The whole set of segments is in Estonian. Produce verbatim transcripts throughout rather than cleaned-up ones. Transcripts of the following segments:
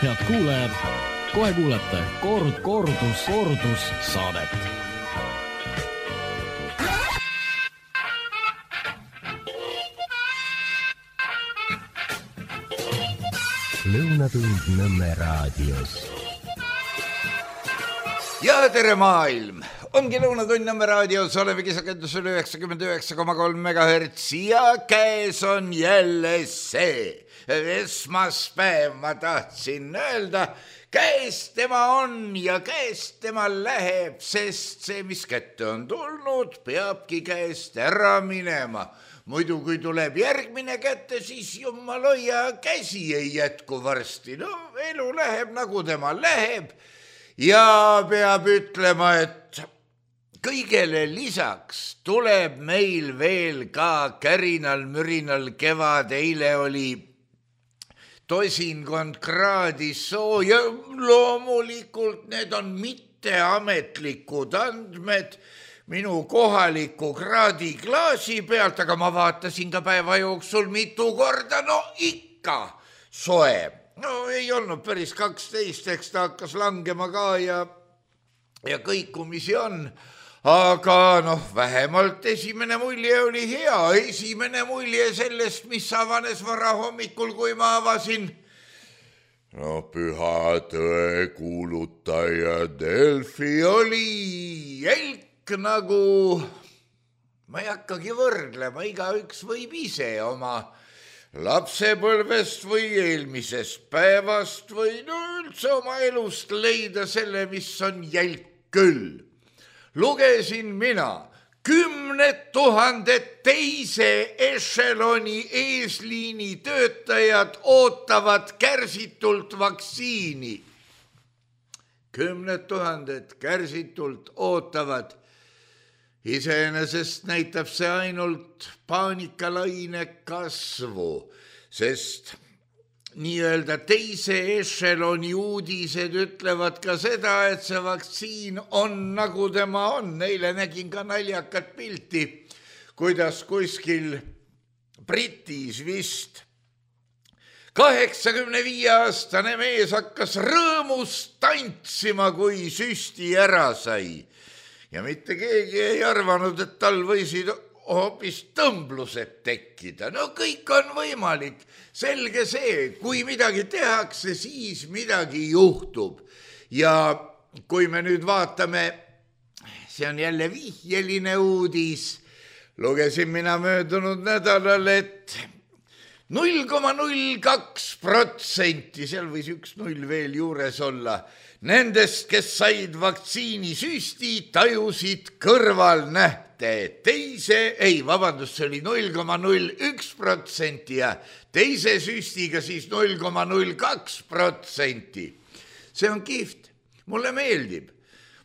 head kuulajad, kohe kuulete kord, kordus, kordus saadet. Lõunatund Nõmme raadios. Ja tere maailm! Ongi Lõunatund Nõmme raadios, oleme kisakendusel üheksakümmend üheksa koma kolm megahertsi ja käes on jälle see. Esmaspäev ma tahtsin öelda, käes tema on ja käes tema läheb, sest see, mis kätte on tulnud, peabki käest ära minema. Muidu kui tuleb järgmine kätte, siis jumal hoia, käsi ei jätku varsti. No elu läheb nagu tema läheb ja peab ütlema, et kõigele lisaks tuleb meil veel ka kärinal-mürinal kevad. Eile oli tosinkond kraadi sooja. Loomulikult need on mitteametlikud andmed minu kohaliku kraadiklaasi pealt, aga ma vaatasin ka päeva jooksul mitu korda, no ikka soe. No ei olnud päris kaksteist, eks ta hakkas langema ka ja, ja kõikumisi on. Aga noh, vähemalt esimene mulje oli hea. Esimene mulje sellest, mis avanes vara hommikul, kui ma avasin. No püha tõe kuulutaja Delfi oli jälk nagu, ma ei hakkagi võrdlema, igaüks võib ise oma lapsepõlvest või eelmisest päevast või no üldse oma elust leida selle, mis on jälk küll. Lugesin mina, kümned tuhanded teise ešeloni eesliini töötajad ootavad kärsitult vaktsiini. Kümned tuhanded kärsitult ootavad. Iseenesest näitab see ainult paanikalaine kasvu, sest nii-öelda teise ešeloni uudised ütlevad ka seda, et see vaktsiin on nagu tema on. Neile nägin ka naljakat pilti, kuidas kuskil Britis vist kaheksakümne viie aastane mees hakkas rõõmust tantsima, kui süsti ära sai. Ja mitte keegi ei arvanud, et tal võisid hoopis tõmblused tekkida. No kõik on võimalik. Selge see, kui midagi tehakse, siis midagi juhtub. Ja kui me nüüd vaatame, see on jälle vihjeline uudis. Lugesin mina möödunud nädalal, et null koma null kaks protsenti, seal võis üks null veel juures olla, nendest, kes said vaktsiinisüsti, tajusid kõrvalnähte. Teise, ei, vabandust, see oli null koma null üks protsenti ja teise süstiga siis null koma null kaks protsenti. See on kihvt. Mulle meeldib.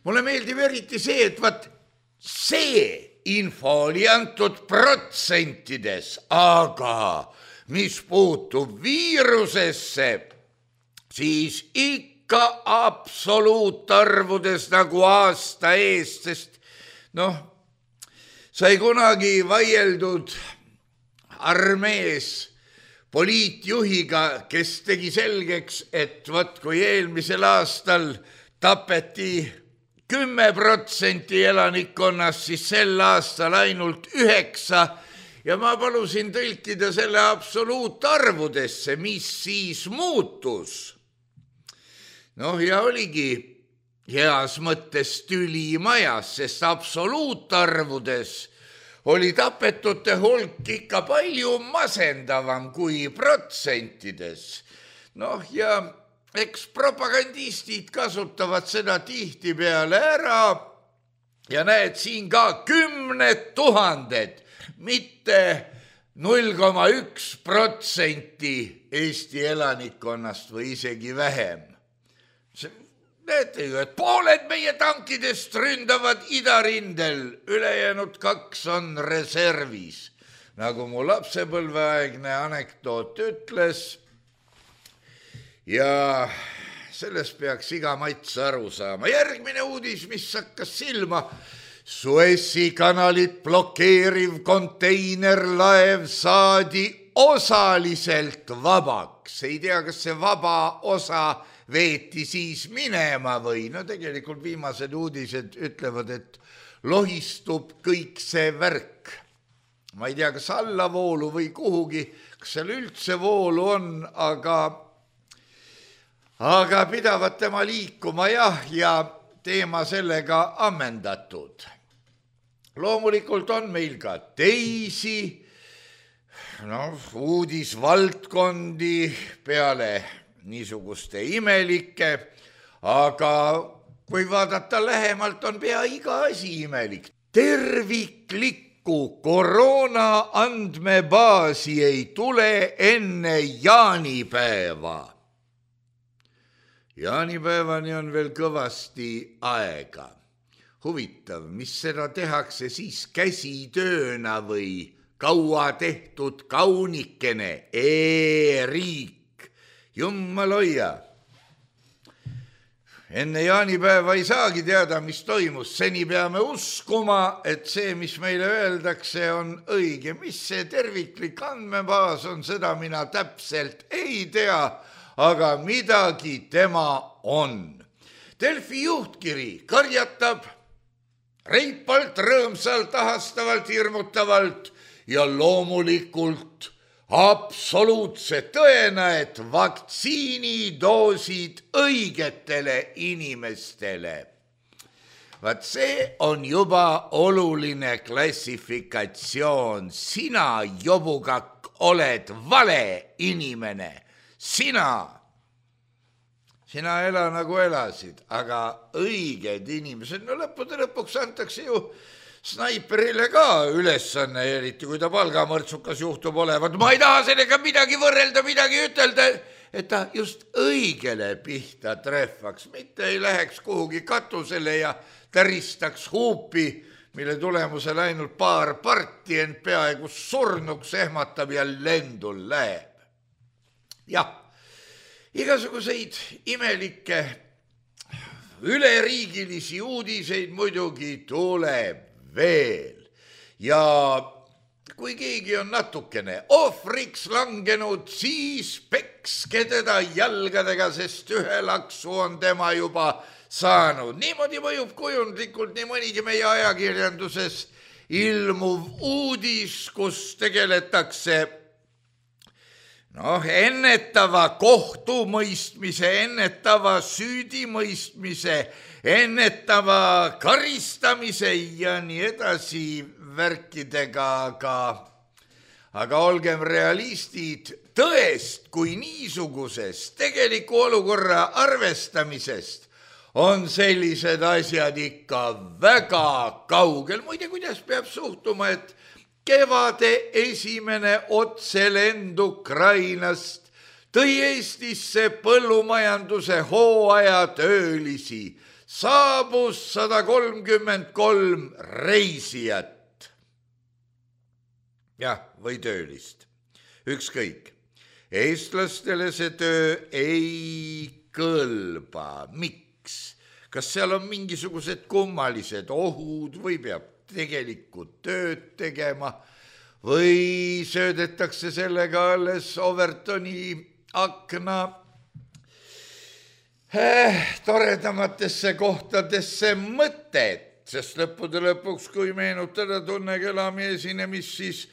Mulle meeldib eriti see, et vaat see info oli antud protsentides, aga mis puutub viirusesse, siis ikka ka absoluutarvudes nagu aasta eest, sest noh, sai kunagi vaieldud armees poliitjuhiga, kes tegi selgeks, et võt, kui eelmisel aastal tapeti kümme protsenti elanikkonnast, siis sel aastal ainult üheksa ja ma palusin tõlkida selle absoluutarvudesse, mis siis muutus. Noh, ja oligi heas mõttes tüli majas, sest absoluutarvudes oli tapetute hulk ikka palju masendavam kui protsentides. Noh, ja eks propagandistid kasutavad seda tihti peale ära ja näed siin ka kümned tuhanded, mitte null koma üks protsenti Eesti elanikkonnast või isegi vähem. Näete ju, et pooled meie tankidest ründavad idarindel, ülejäänud kaks on reservis. Nagu mu lapsepõlveaegne anekdoot ütles ja sellest peaks iga mats aru saama. Järgmine uudis, mis hakkas silma, Suessi kanalit blokeeriv konteinerlaev saadi osaliselt vabaks. Ei tea, kas see vaba osa veeti siis minema või no tegelikult viimased uudised ütlevad, et lohistub kõik see värk. Ma ei tea, kas allavoolu või kuhugi, kas seal üldse voolu on, aga, aga pidavad tema liikuma jah, ja teema sellega ammendatud. Loomulikult on meil ka teisi no, uudisvaldkondi peale niisuguste imelike, aga kui vaadata lähemalt, on pea iga asi imelik. Terviklikku koroona andmebaasi ei tule enne jaanipäeva. Jaanipäevani on veel kõvasti aega. Huvitav, mis seda tehakse siis käsitööna või kaua tehtud kaunikene, e-riik, jummal hoia. Enne jaanipäeva ei saagi teada, mis toimus, seni peame uskuma, et see, mis meile öeldakse, on õige. Mis see terviklik andmebaas on, seda mina täpselt ei tea, aga midagi tema on. Delfi juhtkiri karjatab reipalt, rõõmsalt, ahastavalt, hirmutavalt ja loomulikult absoluutse tõena, et vaktsiinidoosid õigetele inimestele. Vaat see on juba oluline klassifikatsioon. Sina, jobukakk, oled vale inimene. Sina, sina ela nagu elasid, aga õiged inimesed, no lõppude lõpuks antakse ju snaiperile ka ülesanne, eriti kui ta palgamõrtsukas juhtub olevat. Ma ei taha sellega midagi võrrelda, midagi ütelda, et ta just õigele pihta trehvaks, mitte ei läheks kuhugi katusele ja täristaks huupi, mille tulemusel ainult paar parti end peaaegu surnuks ehmatab ja lendul läheb. Jah, igasuguseid imelikke üleriigilisi uudiseid muidugi tuleb veel. Ja kui keegi on natukene ohvriks langenud, siis pekske teda jalgadega, sest ühe laksu on tema juba saanud. Niimoodi mõjub kujundlikult nii mõnigi meie ajakirjanduses ilmuv uudis, kus tegeletakse noh, ennetava kohtumõistmise, ennetava süüdimõistmise, ennetava karistamise ja nii edasi värkidega, aga, aga olgem realistid, tõest kui niisugusest tegeliku olukorra arvestamisest on sellised asjad ikka väga kaugel. Muide, kuidas peab suhtuma, et kevade esimene otselend Ukrainast tõi Eestisse põllumajanduse hooaja töölisi. Saabus sada kolmkümmend kolm reisijat. Jah, või töölist. Ükskõik. Eestlastele see töö ei kõlba. Miks? Kas seal on mingisugused kummalised ohud või peab tegelikult tööd tegema või söödetakse sellega alles Overtoni akna eh, toredamatesse kohtadesse mõtet, sest lõppude lõpuks, kui meenutada Tunne Kelami esinemist, siis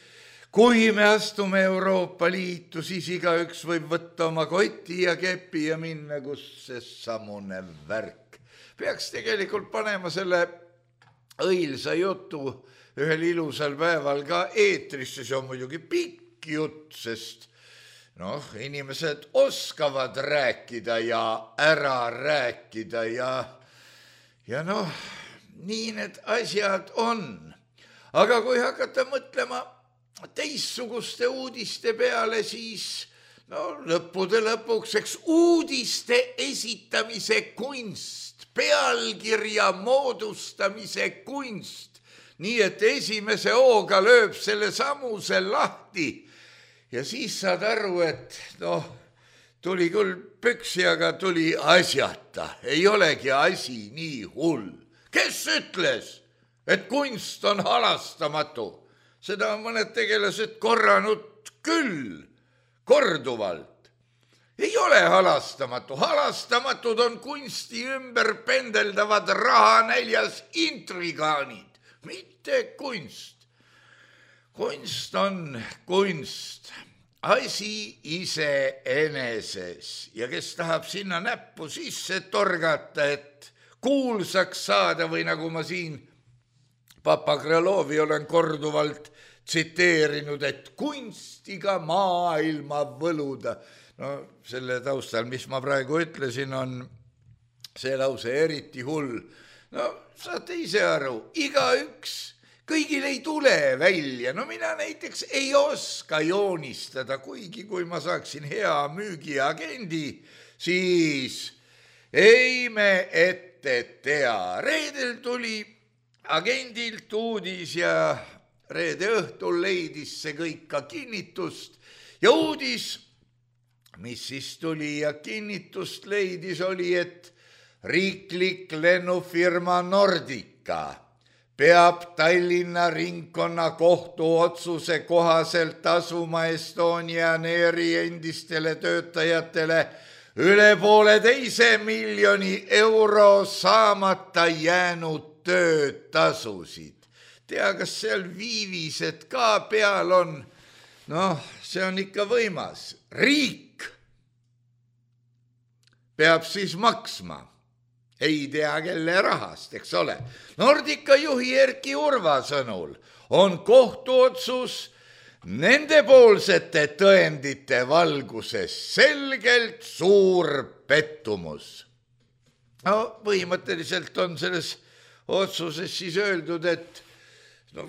kui me astume Euroopa Liitu, siis igaüks võib võtta oma koti ja kepi ja minna, kus see samune värk. Peaks tegelikult panema selle õilsa jutu ühel ilusal päeval ka eetrisse, see on muidugi pikk jutt, sest noh, inimesed oskavad rääkida ja ära rääkida ja, ja noh, nii need asjad on. Aga kui hakata mõtlema teistsuguste uudiste peale, siis no lõppude lõpuks, eks uudiste esitamise kunst, pealkirja moodustamise kunst, nii et esimese hooga lööb selle samuse lahti ja siis saad aru, et noh, tuli küll püksi, aga tuli asjata, ei olegi asi nii hull. Kes ütles, et kunst on halastamatu? Seda on mõned tegelased korranud küll, korduvalt. ei ole halastamatu. Halastamatud on kunsti ümber pendeldavad rahanäljas intrigaanid, mitte kunst. Kunst on kunst, asi iseeneses ja kes tahab sinna näppu sisse torgata, et kuulsaks saada või nagu ma siin Papa Krõlovi olen korduvalt tsiteerinud, et kunstiga maailma võluda. No selle taustal, mis ma praegu ütlesin, on see lause eriti hull. No saate ise aru, igaüks, kõigil ei tule välja. No mina näiteks ei oska joonistada, kuigi kui ma saaksin hea müügiagendi, siis ei me ette tea. Reedel tuli agendilt uudis ja reede õhtul leidis see kõik ka kinnitust ja uudis, mis siis tuli ja kinnitust leidis, oli, et riiklik lennufirma Nordica peab Tallinna ringkonna kohtu otsuse kohaselt tasuma Estonian Airi endistele töötajatele üle pooleteise miljoni euro saamata jäänud töötasusid. Tea, kas seal viivised ka peal on? Noh, see on ikka võimas. Riik peab siis maksma. Ei tea, kelle rahast, eks ole. Nordica juhi Erki Urva sõnul on kohtuotsus nendepoolsete tõendite valguses selgelt suur pettumus. No, põhimõtteliselt on selles otsuses siis öeldud, et no,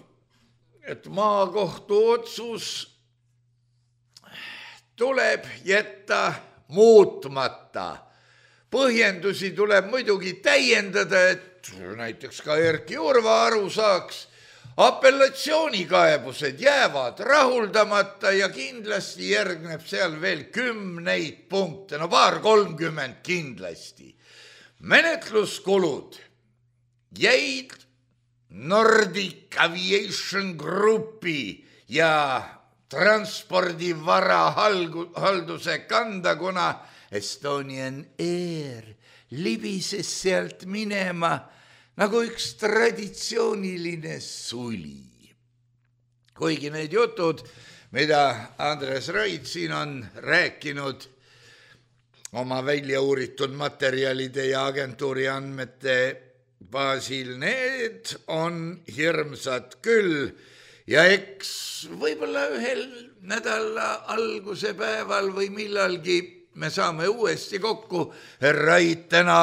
et maakohtu otsus tuleb jätta muutmata. Põhjendusi tuleb muidugi täiendada, et näiteks ka Erki Urva aru saaks. Apellatsioonikaebused jäävad rahuldamata ja kindlasti järgneb seal veel kümneid punkte, no paar kolmkümmend kindlasti. Menetluskulud jäid Nordic Aviation Groupi ja transpordivara halduse kanda, kuna Estonian Air libises sealt minema nagu üks traditsiooniline suli. Kuigi need jutud, mida Andres Raid siin on rääkinud oma välja uuritud materjalide ja agentuuri andmete baasil, need on hirmsad küll ja eks võib-olla ühel nädala alguse päeval või millalgi me saame uuesti kokku. Raid täna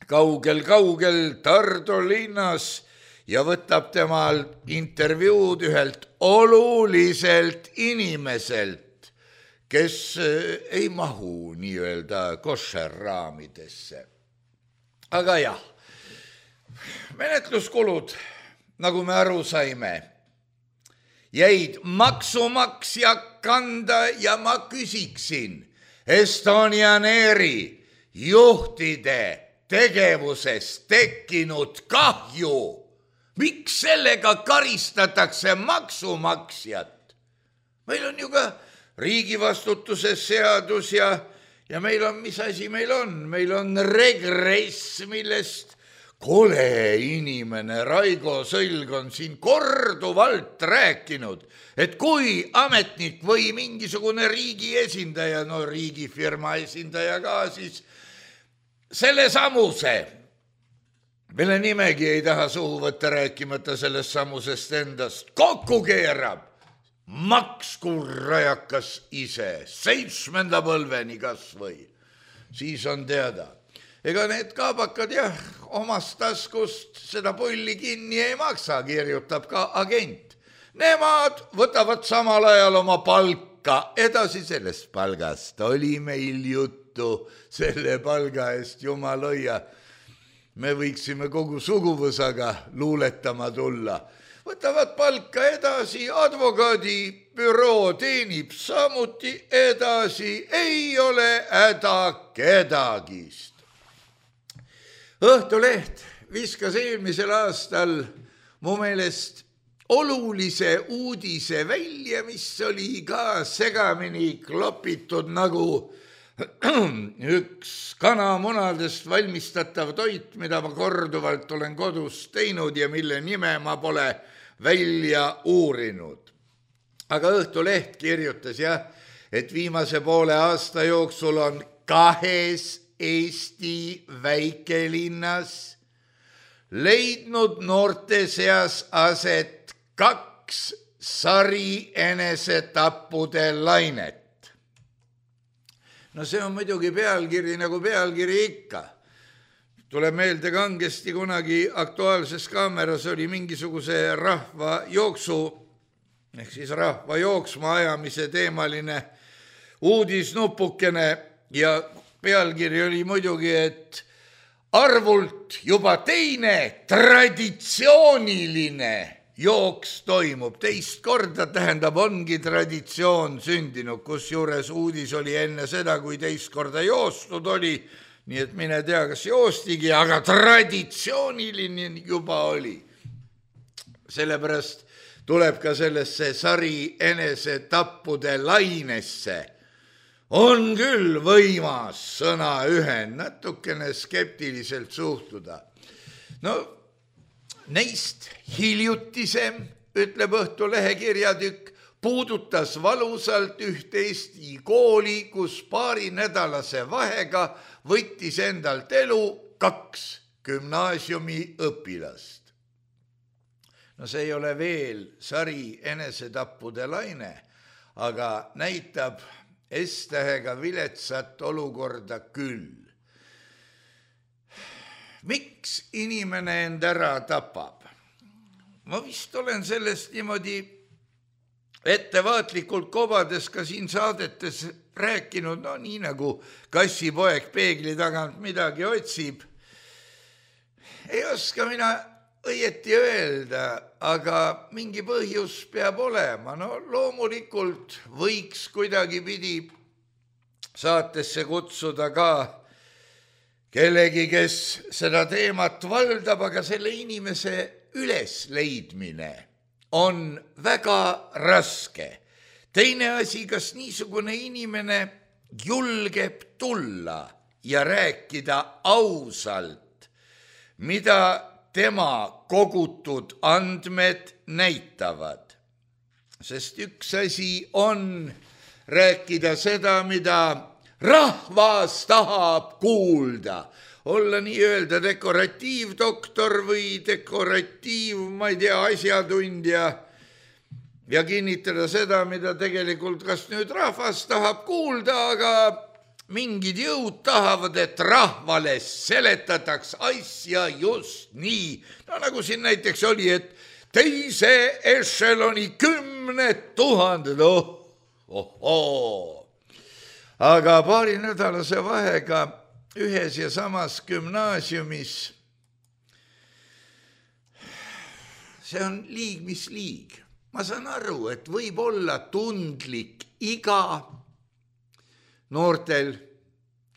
kaugel-kaugel Tartu linnas ja võtab temal intervjuud ühelt oluliselt inimeselt, kes ei mahu nii-öelda koššerraamidesse. Aga jah, menetluskulud, nagu me aru saime, jäid maksumaksja kanda ja ma küsiksin Estonian Airi juhtide tegevusest tekkinud kahju. Miks sellega karistatakse maksumaksjat? Meil on ju ka riigivastutuse seadus ja, ja meil on, mis asi meil on? Meil on regress, millest kole inimene Raigo Sõlg on siin korduvalt rääkinud, et kui ametnik või mingisugune riigi esindaja, no riigifirma esindaja ka, siis selle samuse, mille nimegi ei taha suhu võtta rääkimata sellest samusest endast, kokku keerab, maksku rajakas ise, seitsmenda põlveni kas või, siis on teada. Ega need kaabakad jah, omast taskust seda pulli kinni ei maksa, kirjutab ka agent. Nemad võtavad samal ajal oma palka, edasi sellest palgast oli meil juttu, selle palga eest jumal hoia. Me võiksime kogu suguvõsaga luuletama tulla. Võtavad palka edasi, advokaadibüroo teenib samuti edasi, ei ole häda kedagist. Õhtuleht viskas eelmisel aastal mu meelest olulise uudise välja, mis oli ka segamini klopitud nagu üks kanamunadest valmistatav toit, mida ma korduvalt olen kodus teinud ja mille nime ma pole välja uurinud. Aga Õhtuleht kirjutas jah, et viimase poole aasta jooksul on kahes Eesti väikelinnas leidnud noorte seas aset kaks sari enesetappude lainet. No see on muidugi pealkiri nagu pealkiri ikka. Tuleb meelde kangesti kunagi Aktuaalses Kaameras oli mingisuguse rahva jooksu, ehk siis rahva jooksma ajamise teemaline uudisnupukene ja pealkiri oli muidugi, et arvult juba teine traditsiooniline jooks toimub. Teist korda tähendab ongi traditsioon sündinud, kus juures uudis oli enne seda, kui teist korda joostud oli, nii et mine tea, kas joostigi, aga traditsiooniline juba oli. Sellepärast tuleb ka sellesse sari enesetappude lainesse. On küll võimas sõna ühend, natukene skeptiliselt suhtuda. No, neist hiljutisem, ütleb Õhtulehe kirjatükk, puudutas valusalt üht Eesti kooli, kus paari nädalase vahega võttis endalt elu kaks gümnaasiumi õpilast. No see ei ole veel sari enesetappude laine, aga näitab S-tähega viletsat olukorda küll. Miks inimene end ära tapab? Ma vist olen sellest niimoodi ettevaatlikult kobades ka siin saadetes rääkinud, no nii nagu kassipoeg peegli tagant midagi otsib. Ei oska mina õieti öelda, aga mingi põhjus peab olema. No loomulikult võiks kuidagi pidi saatesse kutsuda ka kellegi, kes seda teemat valdab, aga selle inimese ülesleidmine on väga raske. Teine asi, kas niisugune inimene julgeb tulla ja rääkida ausalt, mida tema kogutud andmed näitavad. Sest üks asi on rääkida seda, mida rahvas tahab kuulda. Olla nii-öelda dekoratiivdoktor või dekoratiiv, ma ei tea, asjatundja ja kinnitada seda, mida tegelikult kas nüüd rahvas tahab kuulda, aga mingid jõud tahavad, et rahvale seletataks asja just nii. No nagu siin näiteks oli, et teise ešeloni kümned tuhanded, oh, oh, oh. Aga paari nädalase vahega ühes ja samas gümnaasiumis, see on liig, mis liig. Ma saan aru, et võib olla tundlik iga noortel,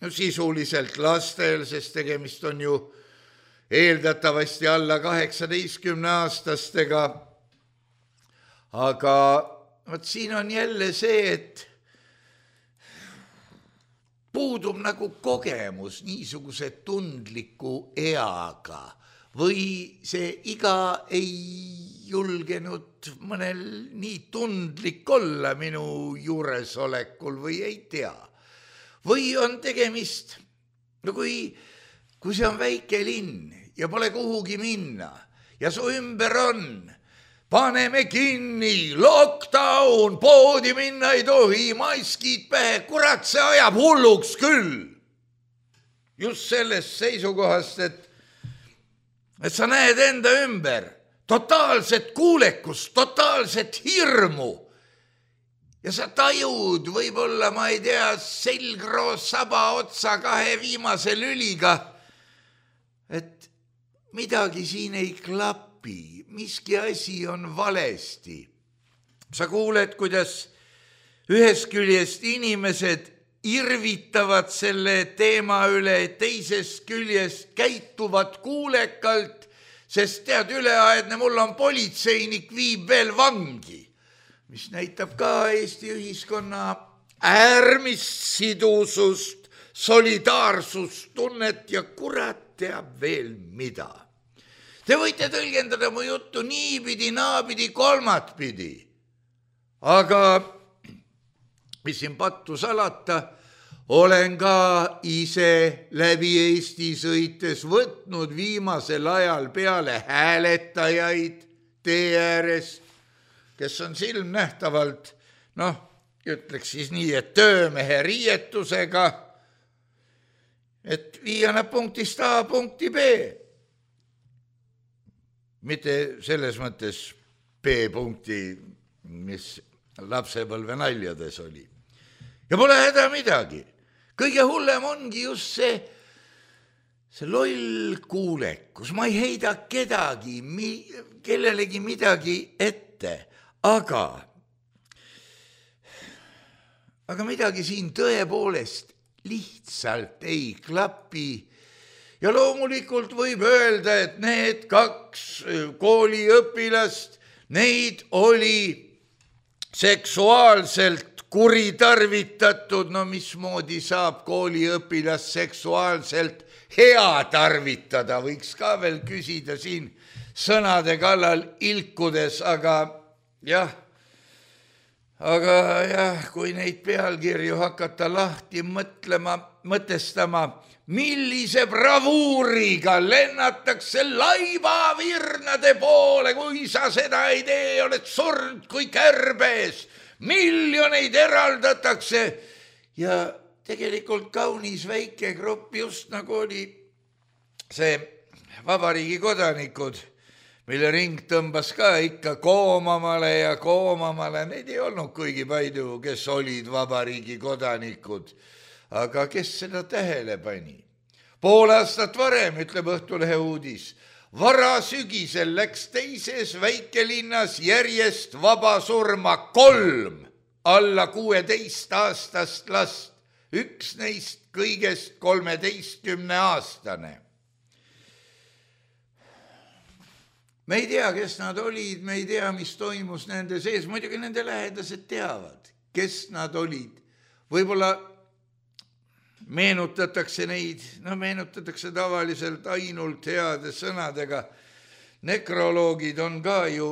no sisuliselt lastel, sest tegemist on ju eeldatavasti alla kaheksateistkümne aastastega. Aga võt siin on jälle see, et puudub nagu kogemus niisuguse tundliku eaga või see iga ei julgenud mõnel nii tundlik olla minu juuresolekul või ei tea. Või on tegemist, no kui, kui see on väike linn ja pole kuhugi minna ja su ümber on, paneme kinni, lockdown, poodi minna ei tohi, maskid pähe, kurat, see ajab hulluks küll. Just sellest seisukohast, et, et sa näed enda ümber totaalset kuulekust, totaalset hirmu ja sa tajud võib-olla, ma ei tea, selgroo saba otsa kahe viimase lüliga, et midagi siin ei klapi, miski asi on valesti. Sa kuuled, kuidas ühest küljest inimesed irvitavad selle teema üle, teisest küljest käituvad kuulekalt, sest tead, üleaedne mul on politseinik, viib veel vangi, mis näitab ka Eesti ühiskonna äärmist sidusust, solidaarsustunnet ja kurat teab veel mida. Te võite tõlgendada mu juttu niipidi, naapidi, kolmatpidi. Aga mis siin pattu salata, olen ka ise läbi Eesti sõites võtnud viimasel ajal peale hääletajaid tee ääres, kes on silmnähtavalt, noh, ütleks siis nii, et töömehe riietusega, et viia nad punktist A punkti B. Mitte selles mõttes B-punkti, mis lapsepõlve naljades oli. Ja pole häda midagi. Kõige hullem ongi just see, see loll kuulekus. Ma ei heida kedagi, kellelegi midagi ette, aga, aga midagi siin tõepoolest lihtsalt ei klapi. Ja loomulikult võib öelda, et need kaks kooliõpilast, neid oli seksuaalselt kuritarvitatud, no mismoodi saab kooliõpilast seksuaalselt hea tarvitada, võiks ka veel küsida siin sõnade kallal ilkudes, aga jah, aga jah, kui neid pealkirju hakata lahti mõtlema, mõtestama, millise bravuuriga lennatakse laivavirnade poole, kui sa seda ei tee, oled surnud kui kärbes, miljoneid eraldatakse ja tegelikult kaunis väike grupp, just nagu oli see vabariigi kodanikud, mille ring tõmbas ka ikka koomamale ja koomamale, neid ei olnud kuigi palju, kes olid vabariigi kodanikud. Aga kes seda tähele pani? Pool aastat varem, ütleb Õhtulehe uudis, vara sügisel läks teises väikelinnas järjest vabasurma kolm alla kuueteist aastast last, üks neist kõigest kolmeteistkümne aastane. Me ei tea, kes nad olid, me ei tea, mis toimus nende sees, muidugi nende lähedased teavad, kes nad olid. Võib-olla meenutatakse neid, no meenutatakse tavaliselt ainult heade sõnadega. Nekroloogid on ka ju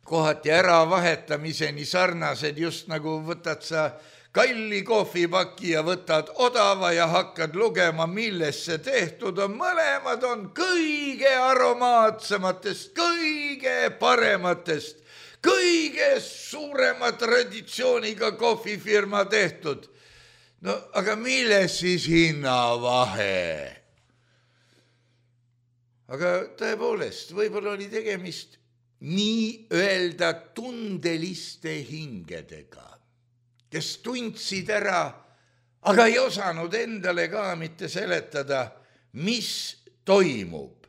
kohati ära vahetamiseni sarnased, just nagu võtad sa kalli kohvipaki ja võtad odava ja hakkad lugema, millest see tehtud on. Mõlemad on kõige aromaatsematest, kõige parematest, kõige suurema traditsiooniga kohvifirma tehtud. No aga milles siis hinnavahe? Aga tõepoolest, võib-olla oli tegemist nii öelda tundeliste hingedega, kes tundsid ära, aga ei osanud endale ka mitte seletada, mis toimub.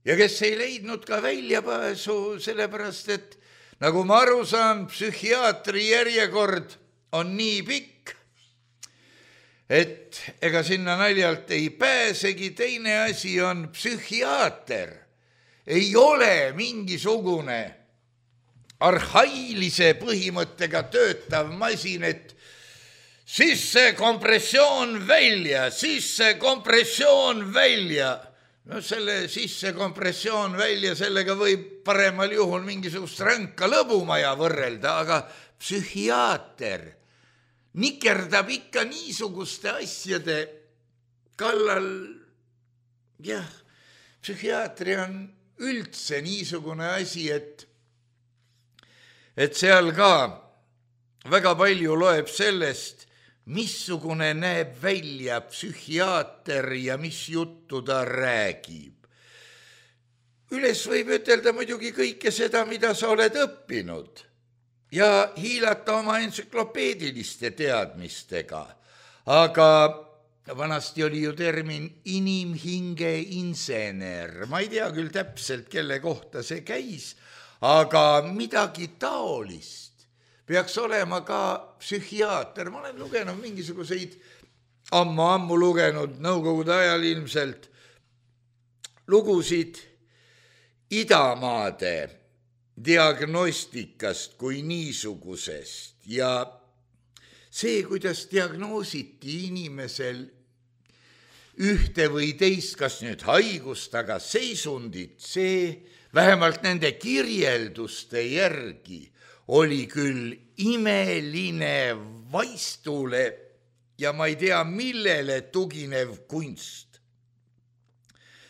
Ja kes ei leidnud ka väljapääsu, sellepärast et nagu ma aru saan, psühhiaatri järjekord on nii pikk, et ega sinna naljalt ei pääsegi. Teine asi on psühhiaater. Ei ole mingisugune arhailise põhimõttega töötav masin, et sisse kompressioon välja, sisse kompressioon välja. No selle sisse kompressioon välja, sellega võib paremal juhul mingisugust ränka lõbumaja võrrelda, aga psühhiaater nikerdab ikka niisuguste asjade kallal. Jah, psühhiaatri on üldse niisugune asi, et, et seal ka väga palju loeb sellest, missugune näeb välja psühhiaater ja mis juttu ta räägib. Üles võib ütelda muidugi kõike seda, mida sa oled õppinud ja hiilata oma entsüklopeediliste teadmistega. Aga vanasti oli ju termin inimhinge insener. Ma ei tea küll täpselt, kelle kohta see käis, aga midagi taolist peaks olema ka psühhiaater. Ma olen lugenud mingisuguseid, ammu-ammu lugenud, nõukogude ajal ilmselt, lugusid idamaade diagnostikast kui niisugusest ja see, kuidas diagnoositi inimesel ühte või teist, kas nüüd haigust, aga seisundit, see vähemalt nende kirjelduste järgi oli küll imeline vaistule ja ma ei tea, millele tuginev kunst.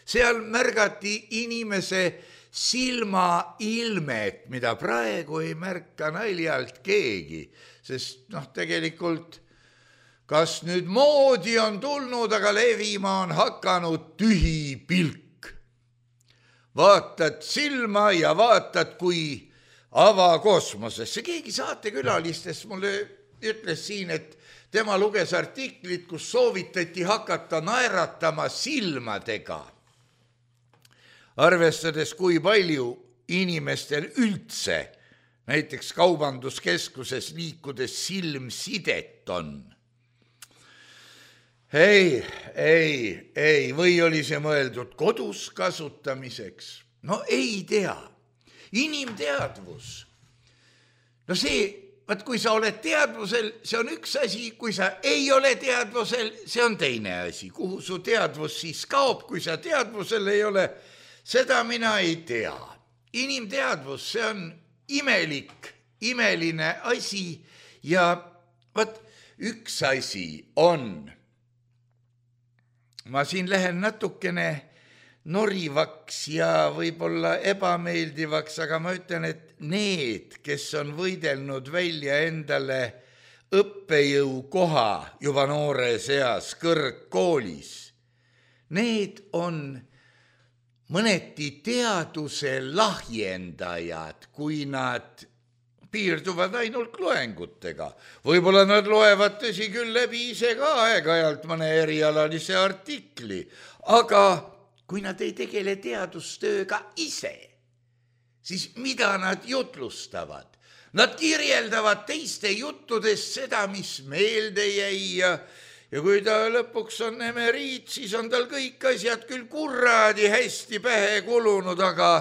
Seal märgati inimese silmailmet, mida praegu ei märka naljalt keegi, sest noh, tegelikult kas nüüd moodi on tulnud, aga levima on hakanud tühi pilk. Vaatad silma ja vaatad kui avakosmosesse. Keegi saatekülalistest mulle ütles siin, et tema luges artiklit, kus soovitati hakata naeratama silmadega. Arvestades, kui palju inimestel üldse, näiteks kaubanduskeskuses liikudes silmsidet on. Ei, ei, ei, või oli see mõeldud kodus kasutamiseks? No ei tea. Inimteadvus. No see, vaat kui sa oled teadvusel, see on üks asi, kui sa ei ole teadvusel, see on teine asi. Kuhu su teadvus siis kaob, kui sa teadvusel ei ole, seda mina ei tea. Inimteadvus, see on imelik, imeline asi ja vaat üks asi on, ma siin lähen natukene norivaks ja võib-olla ebameeldivaks, aga ma ütlen, et need, kes on võidelnud välja endale õppejõu koha juba noores eas kõrgkoolis, need on mõneti teaduse lahjendajad, kui nad piirduvad ainult loengutega. Võib-olla nad loevad tõsi küll läbi ise ka aeg-ajalt mõne erialalise artikli, aga kui nad ei tegele teadustööga ise, siis mida nad jutlustavad? Nad kirjeldavad teiste juttudest seda, mis meelde jäi ja, ja kui ta lõpuks on emeriit, siis on tal kõik asjad küll kuradi hästi pähe kulunud, aga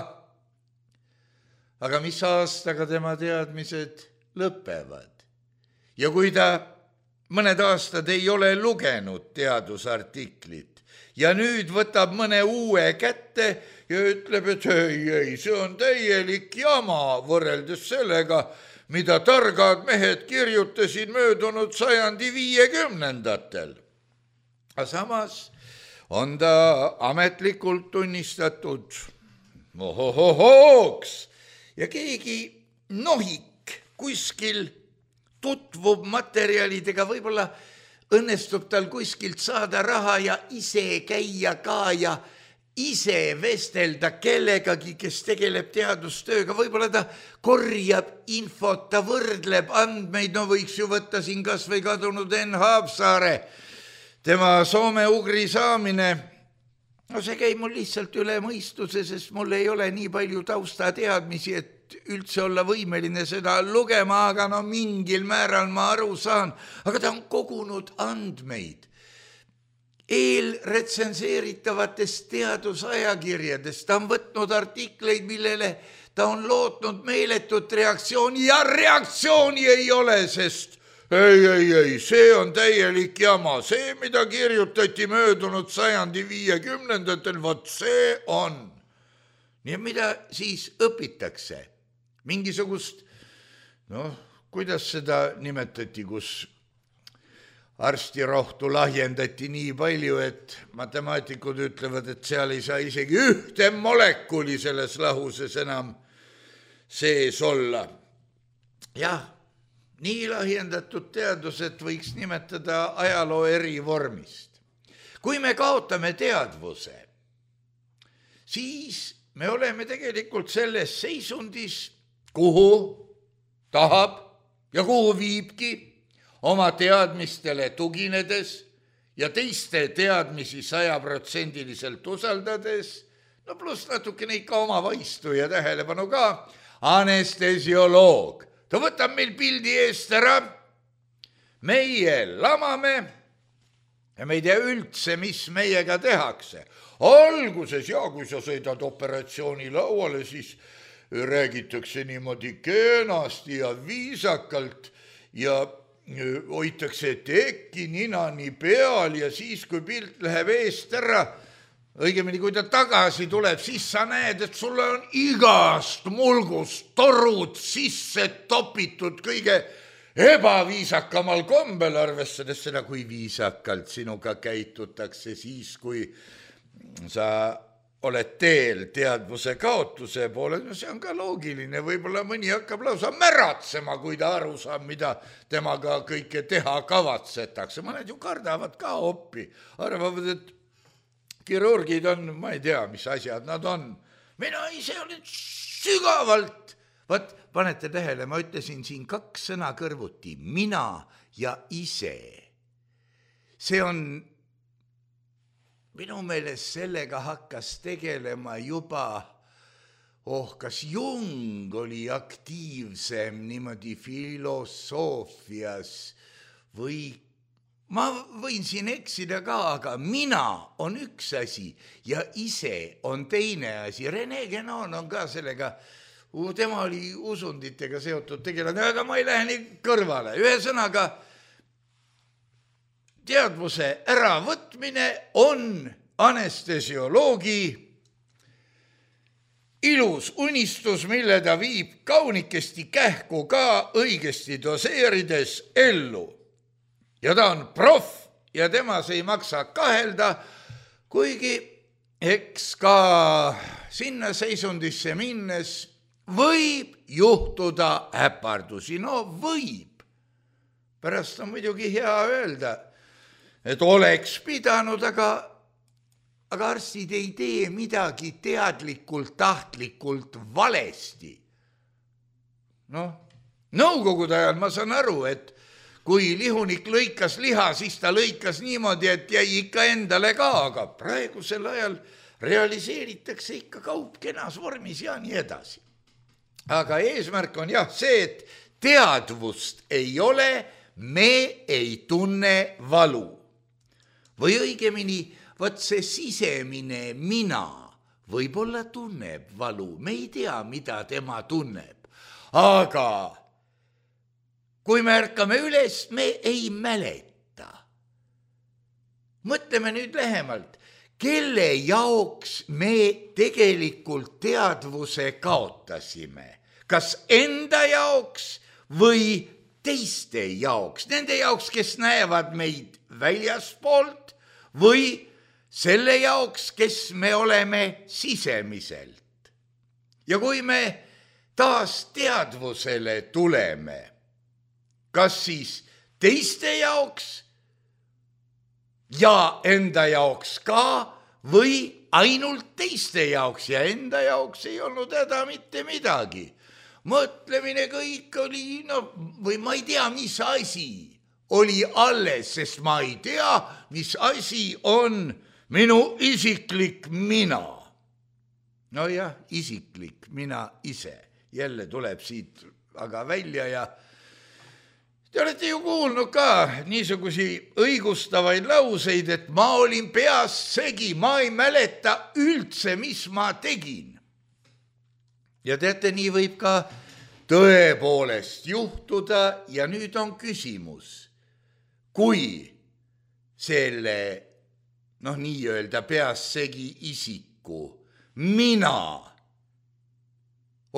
aga mis aastaga tema teadmised lõpevad. Ja kui ta mõned aastad ei ole lugenud teadusartiklit ja nüüd võtab mõne uue kätte ja ütleb, et ei, ei, see on täielik jama võrreldes sellega, mida targad mehed kirjutasid möödunud sajandi viiekümnendatel. Aga samas on ta ametlikult tunnistatud ohohohooks, ja keegi nohik kuskil tutvub materjalidega, võib-olla õnnestub tal kuskilt saada raha ja ise käia ka ja ise vestelda kellegagi, kes tegeleb teadustööga, võib-olla ta korjab infot, ta võrdleb andmeid, no võiks ju võtta siin kas või kadunud Enn Haapsaare, tema soome-ugri saamine. No see käib mul lihtsalt üle mõistuse, sest mul ei ole nii palju taustateadmisi, et üldse olla võimeline seda lugema, aga no mingil määral ma aru saan. Aga ta on kogunud andmeid eelretsenseeritavatest teadusajakirjadest. Ta on võtnud artikleid, millele ta on lootnud meeletut reaktsiooni ja reaktsiooni ei ole, sest ei, ei, ei, see on täielik jama. See, mida kirjutati möödunud sajandi viiekümnendatel, vot see on. Nii, mida siis õpitakse? Mingisugust, noh, kuidas seda nimetati, kus arstirohtu lahjendati nii palju, et matemaatikud ütlevad, et seal ei saa isegi ühte molekuli selles lahuses enam sees olla. Jah, nii lahjendatud teadused võiks nimetada ajaloo eri vormist. Kui me kaotame teadvuse, siis me oleme tegelikult selles seisundis, kuhu tahab ja kuhu viibki oma teadmistele tuginedes ja teiste teadmisi sajaprotsendiliselt usaldades, no pluss natukene ikka oma vaistu ja tähelepanu ka, anestesioloog. Ta võtab meil pildi eest ära, meie lamame ja me ei tea üldse, mis meiega tehakse. Alguses, ja kui sa sõidad operatsiooni lauale, siis räägitakse niimoodi kenasti ja viisakalt ja hoitakse teki ninani peal ja siis, kui pilt läheb eest ära, õigemini, kui ta tagasi tuleb, siis sa näed, et sulle on igast mulgust torud sisse topitud kõige ebaviisakamal kombel, arvestades seda, kui viisakalt sinuga käitutakse siis, kui sa oled teel teadvuse kaotuse poole. No see on ka loogiline, võib-olla mõni hakkab lausa märatsema, kui ta aru saab, mida temaga kõike teha kavatsetakse. Mõned ju kardavad ka oppi, arvavad, et kirurgid on, ma ei tea, mis asjad nad on. Mina ise olen sügavalt, vaat panete tähele, ma ütlesin siin kaks sõna kõrvuti, mina ja ise. See on, minu meelest sellega hakkas tegelema juba, oh, kas Jung oli aktiivsem niimoodi filosoofias või ma võin siin eksida ka, aga mina on üks asi ja ise on teine asi. Rene Guénon on ka sellega, tema oli usunditega seotud tegelane, aga ma ei lähe nii kõrvale. Ühesõnaga, teadvuse äravõtmine on anestesioloogi ilus unistus, mille ta viib kaunikesti kähku ka õigesti doseerides ellu. Ja ta on proff ja temas ei maksa kahelda, kuigi eks ka sinna seisundisse minnes võib juhtuda äpardusi. No võib. Pärast on muidugi hea öelda, et oleks pidanud, aga, aga arstid ei tee midagi teadlikult, tahtlikult valesti. Noh, nõukogude ajal ma saan aru, et kui lihunik lõikas liha, siis ta lõikas niimoodi, et jäi ikka endale ka, aga praegusel ajal realiseeritakse ikka kaup kenas vormis ja nii edasi. Aga eesmärk on jah see, et teadvust ei ole, me ei tunne valu. Või õigemini, võt see sisemine mina võib-olla tunneb valu, me ei tea, mida tema tunneb, aga kui me ärkame üles, me ei mäleta. Mõtleme nüüd lähemalt, kelle jaoks me tegelikult teadvuse kaotasime. Kas enda jaoks või teiste jaoks? Nende jaoks, kes näevad meid väljaspoolt või selle jaoks, kes me oleme sisemiselt. Ja kui me taas teadvusele tuleme, kas siis teiste jaoks ja enda jaoks ka või ainult teiste jaoks ja enda jaoks ei olnud häda mitte midagi. Mõtlemine kõik oli, no, või ma ei tea, mis asi oli alles, sest ma ei tea, mis asi on minu isiklik mina. No jah, isiklik mina ise. Jälle tuleb siit aga välja ja te olete ju kuulnud ka niisugusi õigustavaid lauseid, et ma olin peas segi, ma ei mäleta üldse, mis ma tegin. Ja teate, nii võib ka tõepoolest juhtuda ja nüüd on küsimus, kui selle, noh, nii-öelda peas segi isiku mina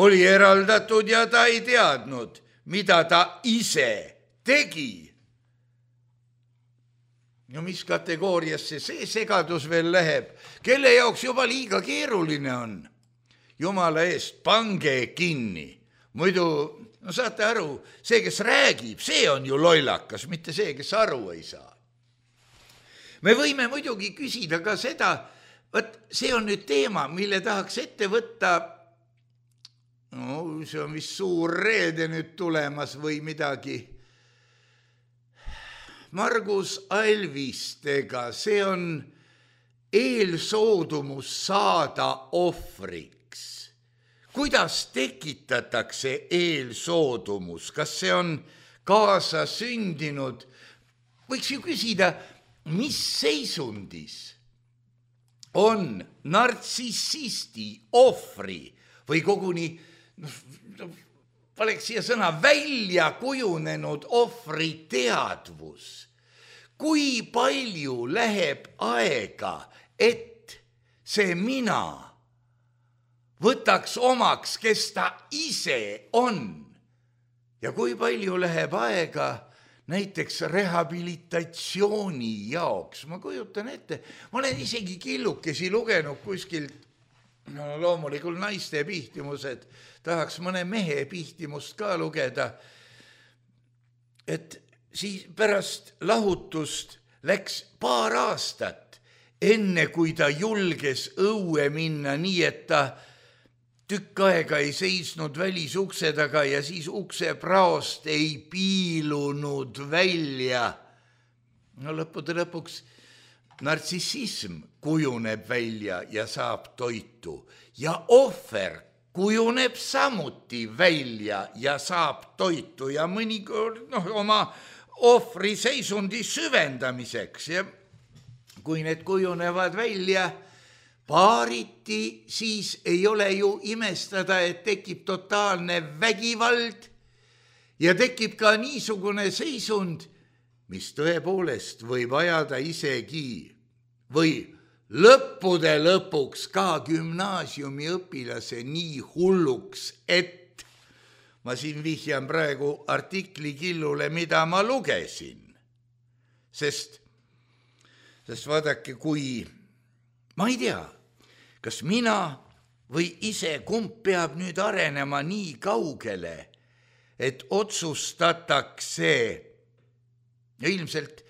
oli eraldatud ja ta ei teadnud, mida ta ise tegi. No mis kategooriasse see segadus veel läheb? Kelle jaoks juba liiga keeruline on? Jumala eest, pange kinni. Muidu, no saate aru, see, kes räägib, see on ju lollakas, mitte see, kes aru ei saa. Me võime muidugi küsida ka seda, võt, see on nüüd teema, mille tahaks ette võtta, no see on vist suur reede nüüd tulemas või midagi, Margus Alvistega, see on eelsoodumus saada ohvriks. Kuidas tekitatakse eelsoodumus? Kas see on kaasa sündinud? Võiks ju küsida, mis seisundis on nartsissisti ohvri või koguni paneks siia sõna välja kujunenud ohvri teadvus. Kui palju läheb aega, et see mina võtaks omaks, kes ta ise on. Ja kui palju läheb aega näiteks rehabilitatsiooni jaoks. Ma kujutan ette, ma olen isegi killukesi lugenud kuskilt, no loomulikult naiste pihtimused, tahaks mõne mehe pihtimust ka lugeda, et siis pärast lahutust läks paar aastat, enne kui ta julges õue minna nii, et ta tükk aega ei seisnud välisukse taga ja siis ukse praost ei piilunud välja. No lõppude lõpuks nartsissism kujuneb välja ja saab toitu ja ohver kujuneb samuti välja ja saab toitu ja mõnikord noh, oma ohvri seisundi süvendamiseks ja kui need kujunevad välja paariti, siis ei ole ju imestada, et tekib totaalne vägivald ja tekib ka niisugune seisund, mis tõepoolest võib ajada isegi või lõppude lõpuks ka gümnaasiumi õpilase nii hulluks, et ma siin vihjan praegu artikli killule, mida ma lugesin. Sest, sest vaadake, kui ma ei tea, kas mina või ise kumb peab nüüd arenema nii kaugele, et otsustatakse ja ilmselt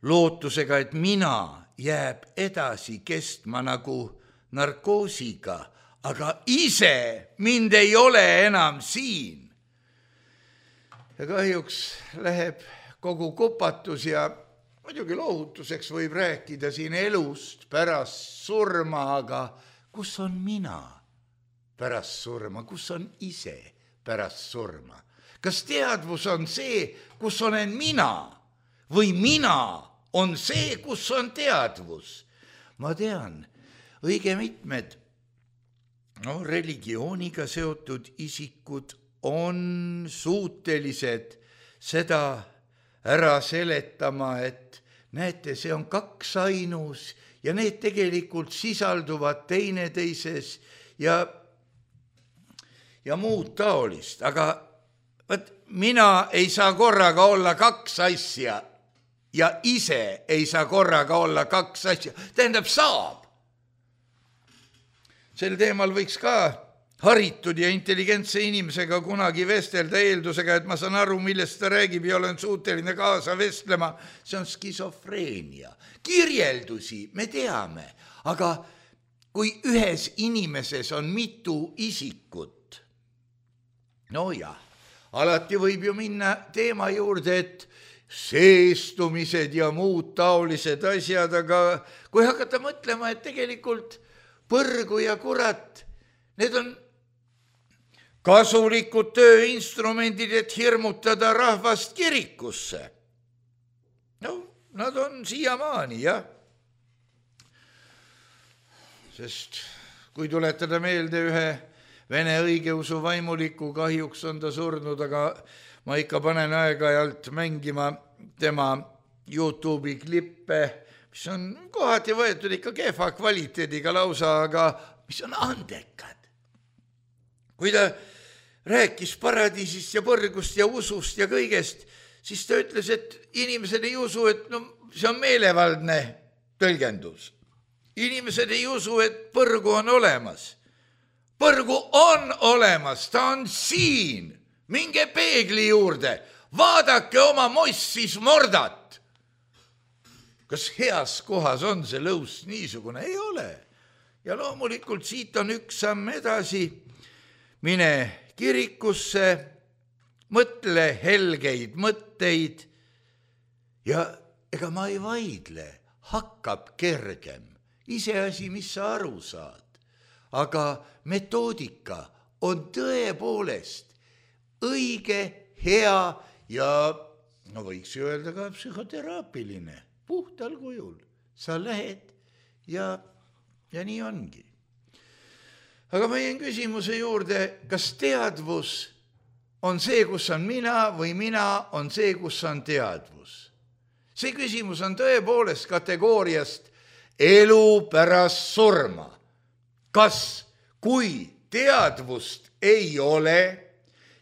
lootusega, et mina jääb edasi kestma nagu narkoosiga, aga ise mind ei ole enam siin. Ja kahjuks läheb kogu kupatus ja muidugi loohutuseks võib rääkida siin elust pärast surma, aga kus on mina pärast surma, kus on ise pärast surma? Kas teadvus on see, kus olen mina või mina on see, kus on teadvus? Ma tean, õige mitmed no, religiooniga seotud isikud on suutelised seda ära seletama, et näete, see on kaks ainus ja need tegelikult sisalduvad teineteises ja, ja muud taolist. Aga võt, mina ei saa korraga olla kaks asja ja ise ei saa korraga olla kaks asja. Tähendab, saab. Sel teemal võiks ka haritud ja intelligentse inimesega kunagi vestelda eeldusega, et ma saan aru, millest ta räägib ja olen suuteline kaasa vestlema. See on skisofreenia. Kirjeldusi me teame, aga kui ühes inimeses on mitu isikut, no jah, alati võib ju minna teema juurde, et seestumised ja muud taolised asjad, aga kui hakata mõtlema, et tegelikult põrgu ja kurat, need on kasulikud tööinstrumendid, et hirmutada rahvast kirikusse. No, nad on siiamaani, jah. Sest kui tuletada meelde ühe vene õigeusu vaimuliku, kahjuks on ta surnud, aga ma ikka panen aeg-ajalt mängima tema YouTube'i klippe, mis on kohati võetud ikka kehva kvaliteediga lausa, aga mis on andekad. Kui ta rääkis paradiisist ja põrgust ja usust ja kõigest, siis ta ütles, et inimesed ei usu, et no, see on meelevaldne tõlgendus. Inimesed ei usu, et põrgu on olemas. Põrgu on olemas, ta on siin. Minge peegli juurde, vaadake oma mossis mordat. Kas heas kohas on see lõus niisugune? Ei ole. Ja loomulikult siit on üks samm edasi. Mine kirikusse, mõtle helgeid mõtteid ja ega ma ei vaidle, hakkab kergem. Iseasi, mis sa aru saad. Aga metoodika on tõepoolest õige, hea ja no võiks ju öelda ka psühhoteraapiline, puhtal kujul. Sa lähed ja, ja nii ongi. Aga ma jäin küsimuse juurde, kas teadvus on see, kus on mina või mina on see, kus on teadvus. See küsimus on tõepoolest kategooriast elu pärast surma. Kas, kui teadvust ei ole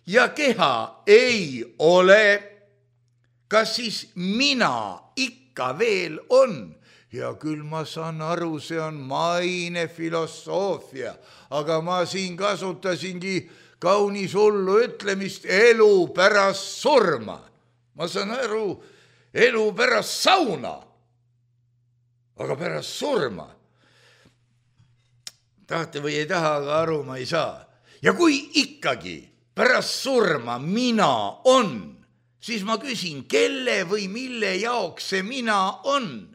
ja keha ei ole, kas siis mina ikka veel on? Ja küll ma saan aru, see on maine filosoofia, aga ma siin kasutasingi kaunis hullu ütlemist elu pärast surma. Ma saan aru, elu pärast sauna, aga pärast surma. Tahate või ei taha, aga aru ma ei saa. Ja kui ikkagi pärast surma mina on, siis ma küsin, kelle või mille jaoks see mina on?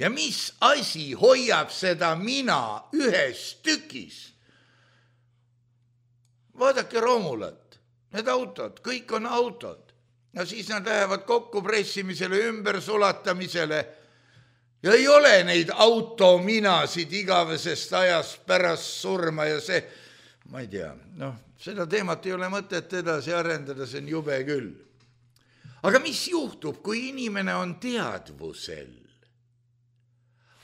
Ja mis asi hoiab seda mina ühes tükis? Vaadake Romulat, need autod, kõik on autod. Ja siis nad lähevad kokkupressimisele, ümbersulatamisele. Ja ei ole neid autominasid igavesest ajast pärast surma ja see, ma ei tea, noh, seda teemat ei ole mõtet edasi arendada, see on jube küll. Aga mis juhtub, kui inimene on teadvusel?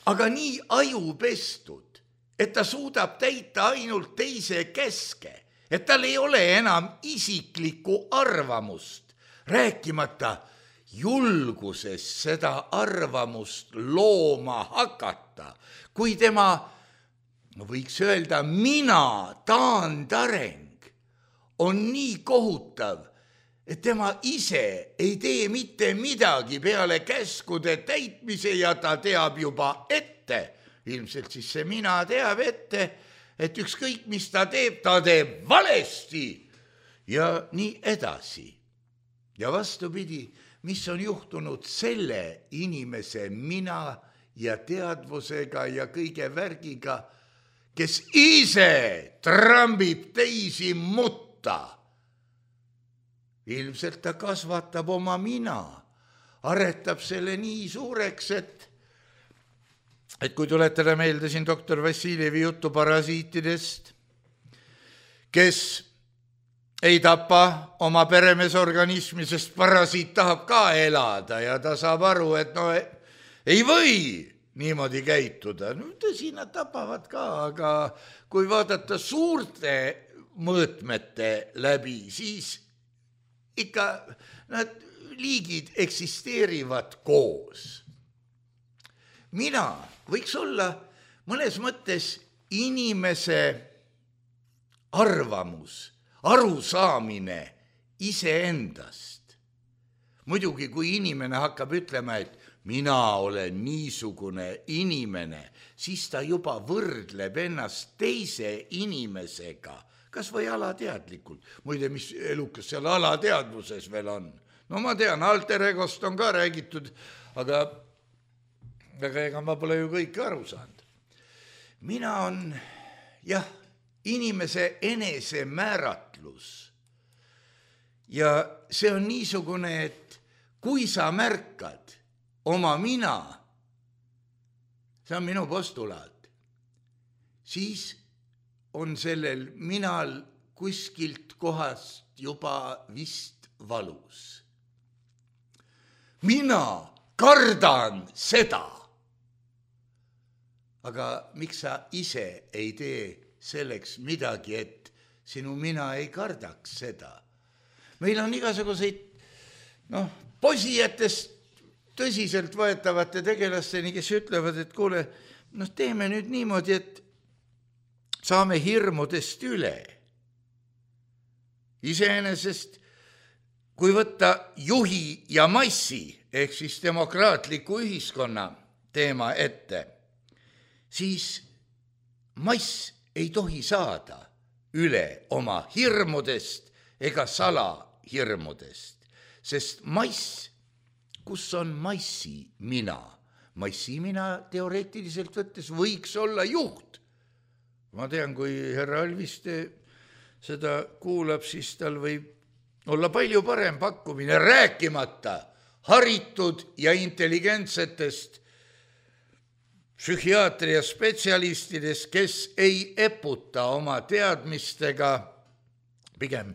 Aga nii ajupestud, et ta suudab täita ainult teise keske, et tal ei ole enam isiklikku arvamust, rääkimata julgusest seda arvamust looma hakata, kui tema, no võiks öelda, mina taandareng on nii kohutav, et tema ise ei tee mitte midagi peale käskude täitmise ja ta teab juba ette. Ilmselt siis see mina teab ette, et ükskõik mis ta teeb, ta teeb valesti ja nii edasi. Ja vastupidi, mis on juhtunud selle inimese mina ja teadvusega ja kõige värgiga, kes ise trambib teisi mutta. Ilmselt ta kasvatab oma mina, aretab selle nii suureks, et, et kui tuletada meelde siin doktor Vassiljevi juttu parasiitidest, kes ei tapa oma peremeesorganismi, sest parasiit tahab ka elada ja ta saab aru, et no ei või niimoodi käituda. No, tõsi, nad tapavad ka, aga kui vaadata suurte mõõtmete läbi, siis ikka nad liigid eksisteerivad koos. Mina võiks olla mõnes mõttes inimese arvamus, arusaamine iseendast. Muidugi, kui inimene hakkab ütlema, et mina olen niisugune inimene, siis ta juba võrdleb ennast teise inimesega, kas või alateadlikult. Muide, mis elukas seal alateadvuses veel on? No ma tean, alter egost on ka räägitud, aga, aga ega ma pole ju kõike aru saanud. Mina on, jah, inimese enesemääratlus. Ja see on niisugune, et kui sa märkad oma mina, see on minu postulaat, siis on sellel minal kuskilt kohast juba vist valus. Mina kardan seda. Aga miks sa ise ei tee selleks midagi, et sinu mina ei kardaks seda? Meil on igasuguseid, noh, posijatest tõsiselt võetavate tegelasteni, kes ütlevad, et kuule, noh, teeme nüüd niimoodi, et saame hirmudest üle. Iseenesest, kui võtta juhi ja massi, ehk siis demokraatliku ühiskonna teema ette, siis mass ei tohi saada üle oma hirmudest ega salahirmudest, sest mass, kus on massi mina? Massi mina teoreetiliselt võttes võiks olla juht. Ma tean, kui härra Alviste seda kuulab, siis tal võib olla palju parem pakkumine, rääkimata haritud ja intelligentsetest psühhiaatria spetsialistidest, kes ei eputa oma teadmistega, pigem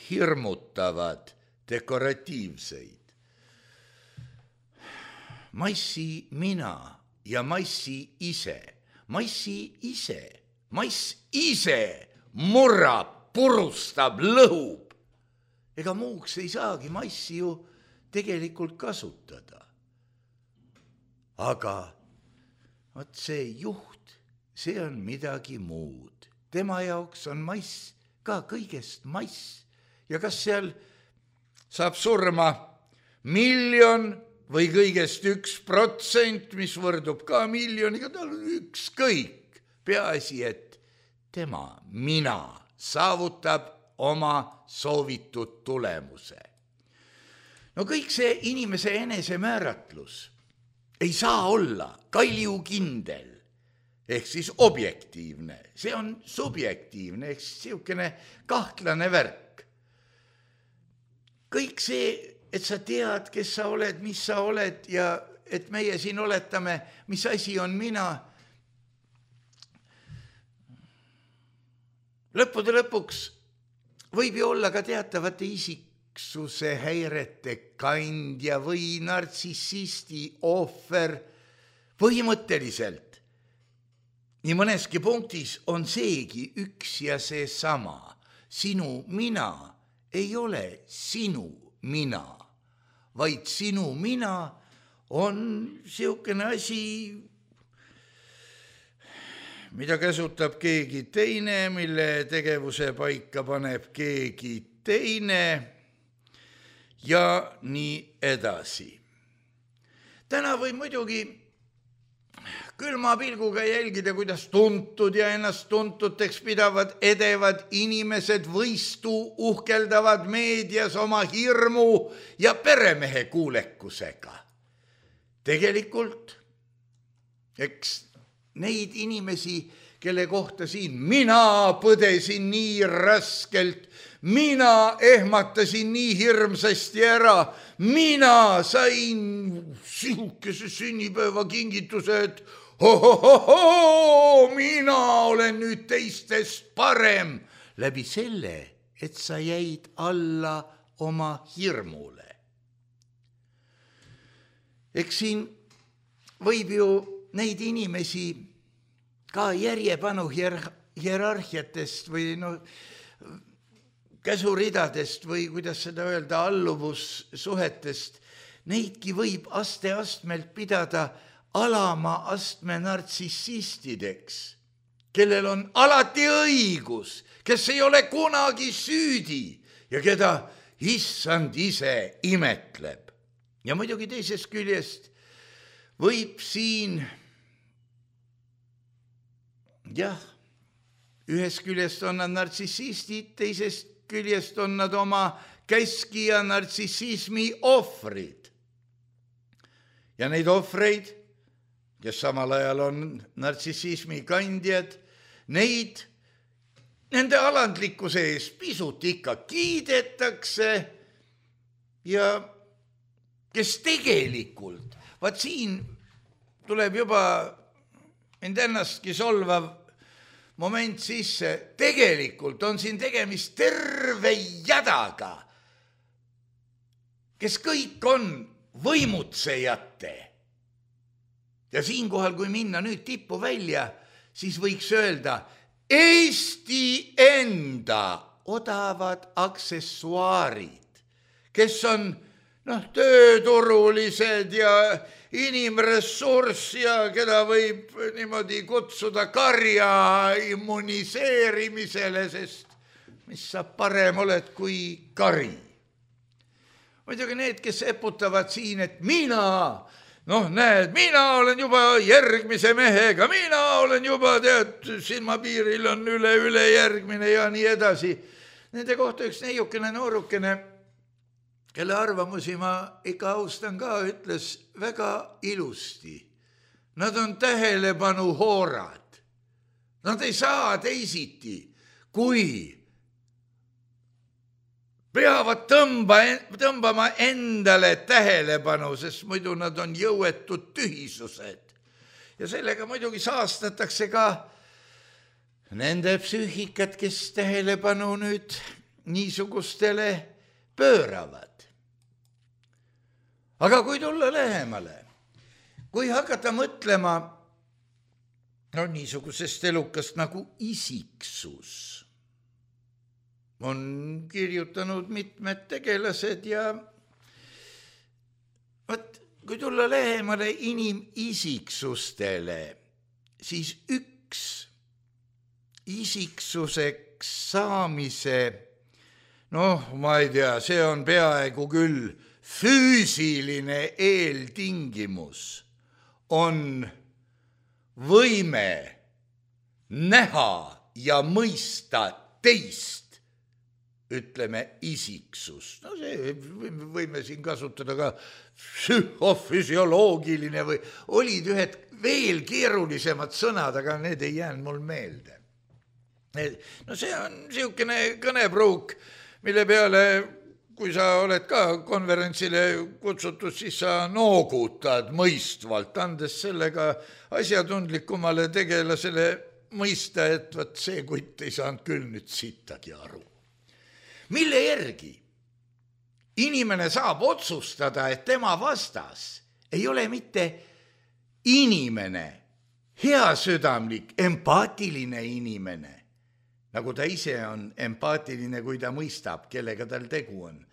hirmutavad dekoratiivseid. Massi mina ja massi ise, massi ise, mass ise murrab, purustab, lõhub. Ega muuks ei saagi massi ju tegelikult kasutada. Aga vot see juht, see on midagi muud. Tema jaoks on mass ka kõigest mass. Ja kas seal saab surma miljon või kõigest üks protsent, mis võrdub ka miljoniga, tal on ükskõik. Peaasi, et tema, mina, saavutab oma soovitud tulemuse. No kõik see inimese enesemääratlus ei saa olla kaljukindel, ehk siis objektiivne. See on subjektiivne, ehk siis siukene kahtlane värk. Kõik see, et sa tead, kes sa oled, mis sa oled ja et meie siin oletame, mis asi on mina. Lõppude lõpuks võib ju olla ka teatavate isiksuse häirete kandja või nartsissisti ohver. Põhimõtteliselt nii mõneski punktis on seegi üks ja see sama. Sinu mina ei ole sinu mina, vaid sinu mina on siukene asi, mida käsutab keegi teine, mille tegevuse paika paneb keegi teine ja nii edasi. Täna võib muidugi külma pilguga jälgida, kuidas tuntud ja ennast tuntuteks pidavad edevad inimesed võistu uhkeldavad meedias oma hirmu ja peremehe kuulekusega. Tegelikult, eks neid inimesi, kelle kohta siin mina põdesin nii raskelt, mina ehmatasin nii hirmsasti ära, mina sain sihukese sünnipäeva kingituse, et ho-ho-ho-ho, mina olen nüüd teistest parem läbi selle, et sa jäid alla oma hirmule. Eks siin võib ju neid inimesi ka järjepanu hier- hierarhiatest või no, käsuridadest või kuidas seda öelda, alluvussuhetest, neidki võib aste-astmelt pidada alama astme nartsissistideks, kellel on alati õigus, kes ei ole kunagi süüdi ja keda issand ise imetleb. Ja muidugi teisest küljest võib siin, jah, ühest küljest on nad nartsissistid, teisest küljest on nad oma käskija nartsissismi ohvrid. Ja neid ohvreid, kes samal ajal on nartsissismi kandjad, neid nende alandlikkuse ees pisut ikka kiidetakse ja kes tegelikult, vaat siin tuleb juba end ennastki solvav moment sisse, tegelikult on siin tegemist terve jadaga, kes kõik on võimutsejate. Ja siinkohal, kui minna nüüd tippu välja, siis võiks öelda Eesti enda odavad aksessuaarid, kes on noh, tööturulised ja inimressurss ja keda võib niimoodi kutsuda karja immuniseerimisele, sest mis sa parem oled kui kari. Muidugi need, kes eputavad siin, et mina, noh näed, mina olen juba järgmise mehega, mina olen juba, tead, silmapiiril on üle, üle järgmine ja nii edasi. Nende kohta üks neiukene noorukene, kelle arvamusi ma ikka austan ka, ütles väga ilusti. Nad on tähelepanu hoorad. Nad ei saa teisiti, kui peavad tõmba, tõmbama endale tähelepanu, sest muidu nad on jõuetud tühisused. Ja sellega muidugi saastatakse ka nende psüühikat, kes tähelepanu nüüd niisugustele pööravad. Aga kui tulla lähemale, kui hakata mõtlema no niisugusest elukast nagu isiksus, on kirjutanud mitmed tegelased ja võt, kui tulla lähemale inimisiksustele, siis üks isiksuseks saamise, noh, ma ei tea, see on peaaegu küll füüsiline eeltingimus, on võime näha ja mõista teist, ütleme isiksust. No see võime siin kasutada ka psühhofüsioloogiline või olid ühed veel keerulisemad sõnad, aga need ei jäänud mul meelde. No see on niisugune kõnepruuk, mille peale kui sa oled ka konverentsile kutsutud, siis sa noogutad mõistvalt, andes sellega asjatundlikumale tegelasele mõista, et võt see kutt ei saanud küll nüüd sittagi aru. Mille järgi inimene saab otsustada, et tema vastas ei ole mitte inimene, heasüdamlik, empaatiline inimene, nagu ta ise on empaatiline, kui ta mõistab, kellega tal tegu on.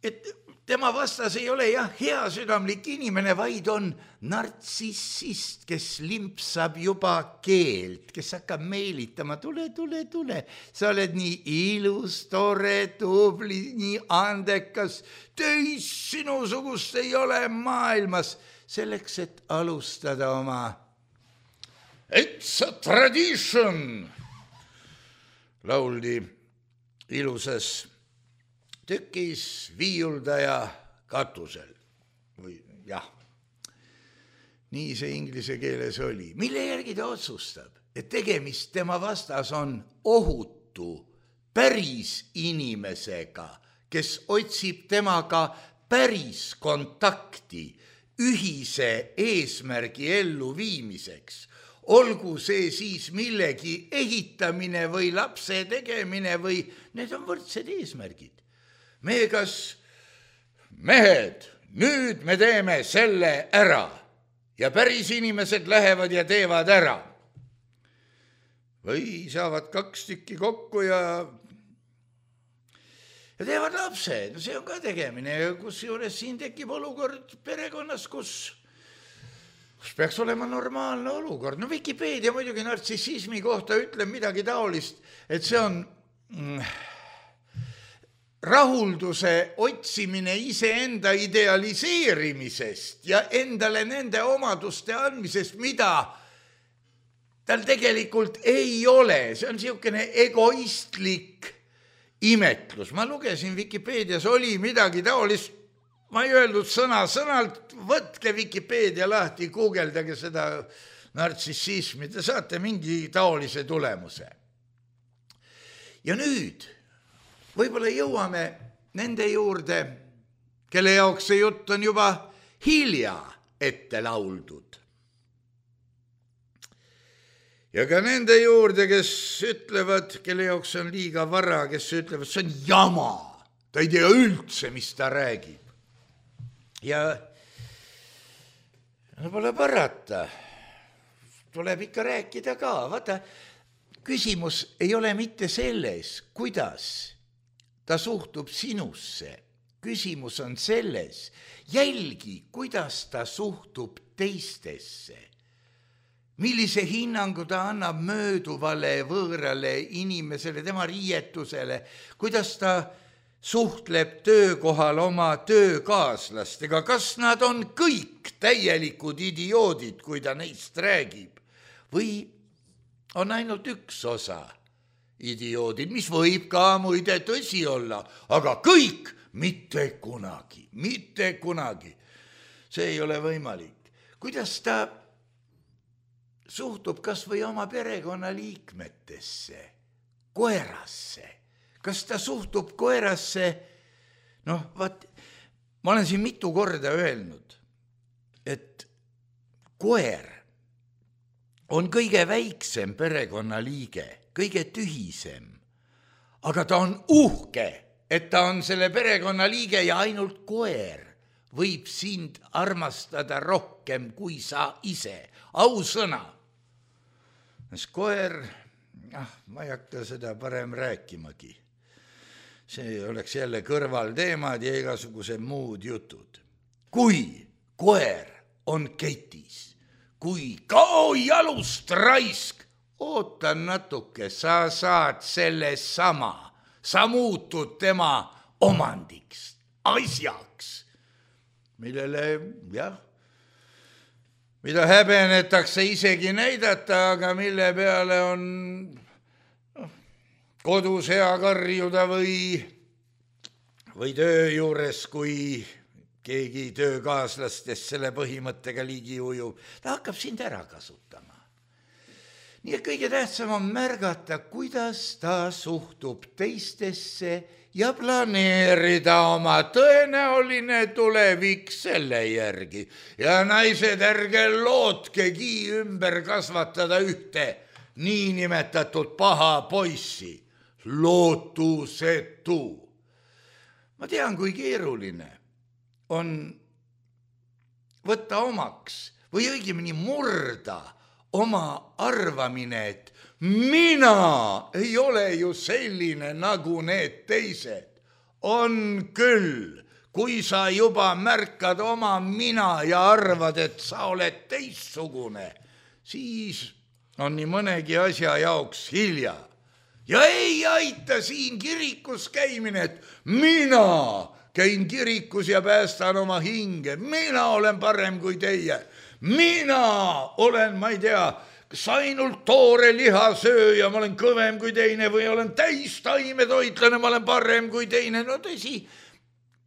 Et tema vastas ei ole jah heasüdamlik inimene, vaid on nartsissist, kes limpsab juba keelt, kes hakkab meelitama, tule, tule, tule, sa oled nii ilus, tore, tubli, nii andekas, teis sinusugust ei ole maailmas, selleks, et alustada oma It's a tradition, lauldi ilusas tükis viiuldaja katusel. Või jah, nii see inglise keeles oli. Mille järgi ta otsustab, et tegemist tema vastas on ohutu päris inimesega, kes otsib temaga päris kontakti ühise eesmärgi ellu viimiseks. Olgu see siis millegi ehitamine või lapse tegemine või need on võrdsed eesmärgid. Me kas mehed, nüüd me teeme selle ära ja päris inimesed lähevad ja teevad ära. Või saavad kaks tükki kokku ja, ja teevad lapse. No see on ka tegemine, kus juures siin tekib olukord perekonnas, kus kus peaks olema normaalne olukord. No Wikipedia muidugi nartsissismi kohta ütleb midagi taolist, et see on mm, rahulduse otsimine iseenda idealiseerimisest ja endale nende omaduste andmisest, mida tal tegelikult ei ole. See on niisugune egoistlik imetlus. Ma lugesin Wikipedias, oli midagi taolist, ma ei öeldud sõna sõnalt, võtke Wikipedia lahti, guugeldage seda nartsissismi, te saate mingi taolise tulemuse. Ja nüüd võib-olla jõuame nende juurde, kelle jaoks see jutt on juba hilja ette lauldud. Ja ka nende juurde, kes ütlevad, kelle jaoks on liiga vara, kes ütlevad, see on jama, ta ei tea üldse, mis ta räägib. Ja no pole parata, tuleb ikka rääkida ka. Vaata, küsimus ei ole mitte selles, kuidas ta suhtub sinusse. Küsimus on selles, jälgi, kuidas ta suhtub teistesse. Millise hinnangu ta annab mööduvale võõrale inimesele, tema riietusele, kuidas ta suhtleb töökohal oma töökaaslastega, kas nad on kõik täielikud idioodid, kui ta neist räägib, või on ainult üks osa idioodid, mis võib ka muide tõsi olla, aga kõik mitte kunagi, mitte kunagi. See ei ole võimalik. Kuidas ta suhtub kas või oma perekonnaliikmetesse, koerasse? Kas ta suhtub koerasse, noh, vaat, ma olen siin mitu korda öelnud, et koer on kõige väiksem perekonnaliige, kõige tühisem, aga ta on uhke, et ta on selle perekonna liige ja ainult koer võib sind armastada rohkem kui sa ise. Ausõna. Sest koer, ah, ma ei hakka seda parem rääkimagi. See oleks jälle kõrvalteemad ja igasugused muud jutud. Kui koer on ketis, kui kao jalust raisk, oota natuke, sa saad selle sama, sa muutud tema omandiks, asjaks, millele, jah, mida häbenetakse isegi näidata, aga mille peale on kodus hea karjuda või, või töö juures, kui keegi töökaaslastest selle põhimõttega ligi ujub, ta hakkab sind ära kasutama. Nii et kõige tähtsam on märgata, kuidas ta suhtub teistesse ja planeerida oma tõenäoline tulevik selle järgi. Ja naised, ärge lootkegi ümber kasvatada ühte niinimetatud paha poissi. Lootusetu. Ma tean, kui keeruline on võtta omaks või õigemini murda oma arvamine, et mina ei ole ju selline nagu need teised. On küll, kui sa juba märkad oma mina ja arvad, et sa oled teistsugune, siis on nii mõnegi asja jaoks hilja. Ja ei aita siin kirikus käimine, et mina käin kirikus ja päästan oma hinge. Mina olen parem kui teie. Mina olen, ma ei tea, kas ainult toore lihasööja, ma olen kõvem kui teine või olen täis taimetoitlane, ma olen parem kui teine. No tõsi,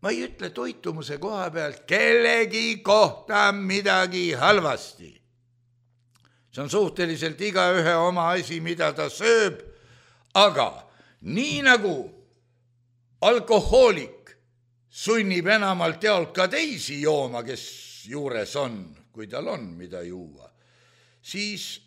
ma ei ütle toitumuse koha pealt kellegi kohta midagi halvasti. See on suhteliselt igaühe oma asi, mida ta sööb. Aga nii nagu alkohoolik sunnib enamalt jaolt ka teisi jooma, kes juures on, kui tal on mida juua, siis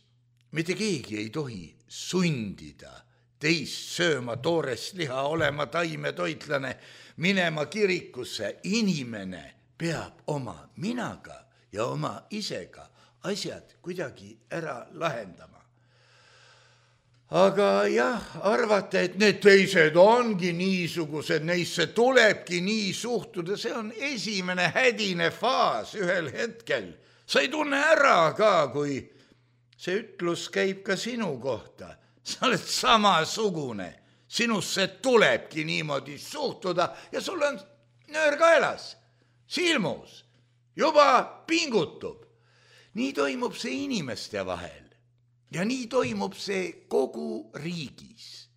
mitte keegi ei tohi sundida teist sööma toorest liha, olema taimetoitlane, minema kirikusse. Inimene peab oma minaga ja oma isega asjad kuidagi ära lahendama. Aga jah, arvata, et need teised ongi niisugused, neisse tulebki nii suhtuda, see on esimene hädine faas ühel hetkel. Sa ei tunne ära ka, kui see ütlus käib ka sinu kohta. Sa oled samasugune, sinusse tulebki niimoodi suhtuda ja sul on nöör kaelas, silmus, juba pingutub. Nii toimub see inimeste vahel. Ja nii toimub see kogu riigis.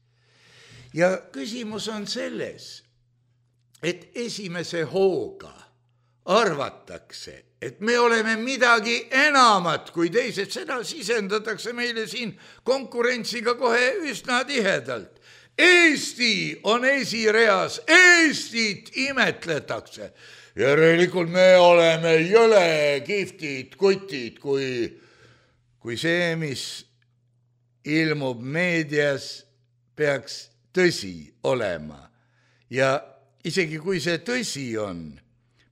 Ja küsimus on selles, et esimese hooga arvatakse, et me oleme midagi enamat kui teised. Seda sisendatakse meile siin konkurentsiga kohe üsna tihedalt. Eesti on esireas, Eestit imetletakse. Järelikult me oleme jõle kihvtid kutid, kui kui see, mis ilmub meedias, peaks tõsi olema. Ja isegi kui see tõsi on,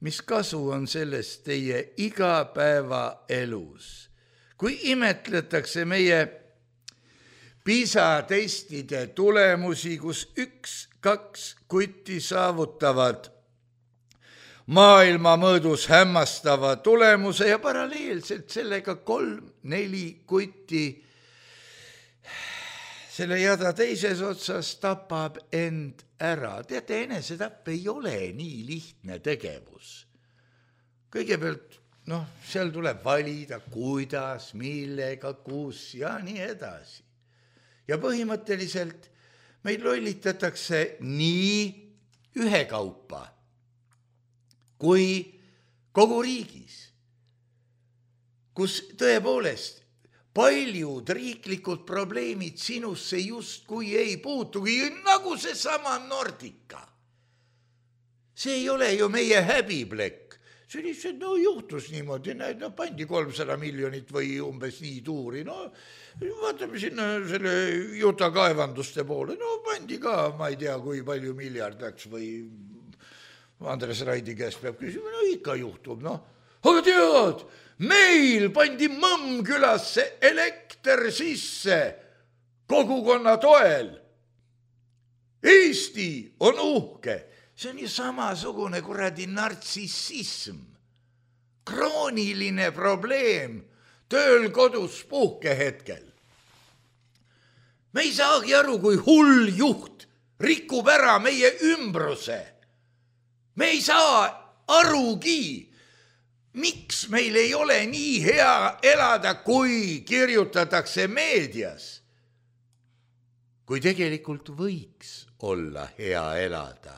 mis kasu on sellest teie igapäeva elus? Kui imetletakse meie PISA testide tulemusi, kus üks, kaks kutti saavutavad maailma mõõdus hämmastava tulemuse ja paralleelselt sellega kolm, neli kutti selle jada teises otsas tapab end ära. Teate, enesetapp ei ole nii lihtne tegevus. Kõigepealt, noh, seal tuleb valida, kuidas, millega, kus ja nii edasi. Ja põhimõtteliselt meid lollitatakse nii ühekaupa kui kogu riigis, kus tõepoolest paljud riiklikud probleemid sinusse justkui ei puutugi, nagu see sama Nordica. See ei ole ju meie häbiplekk. see lihtsalt no juhtus niimoodi, näed, no pandi kolmsada miljonit või umbes nii tuuri, no vaatame sinna selle Juta kaevanduste poole, no pandi ka, ma ei tea, kui palju miljard läks või Andres Raidi käest peab küsima, no ikka juhtub, noh. Aga tead, meil pandi Mõmmkülasse elekter sisse kogukonna toel. Eesti on uhke. See on ju samasugune kuradi nartsissism. Krooniline probleem tööl kodus puhkehetkel. Me ei saagi aru, kui hull juht rikub ära meie ümbruse. Me ei saa arugi, miks meil ei ole nii hea elada, kui kirjutatakse meedias. Kui tegelikult võiks olla hea elada,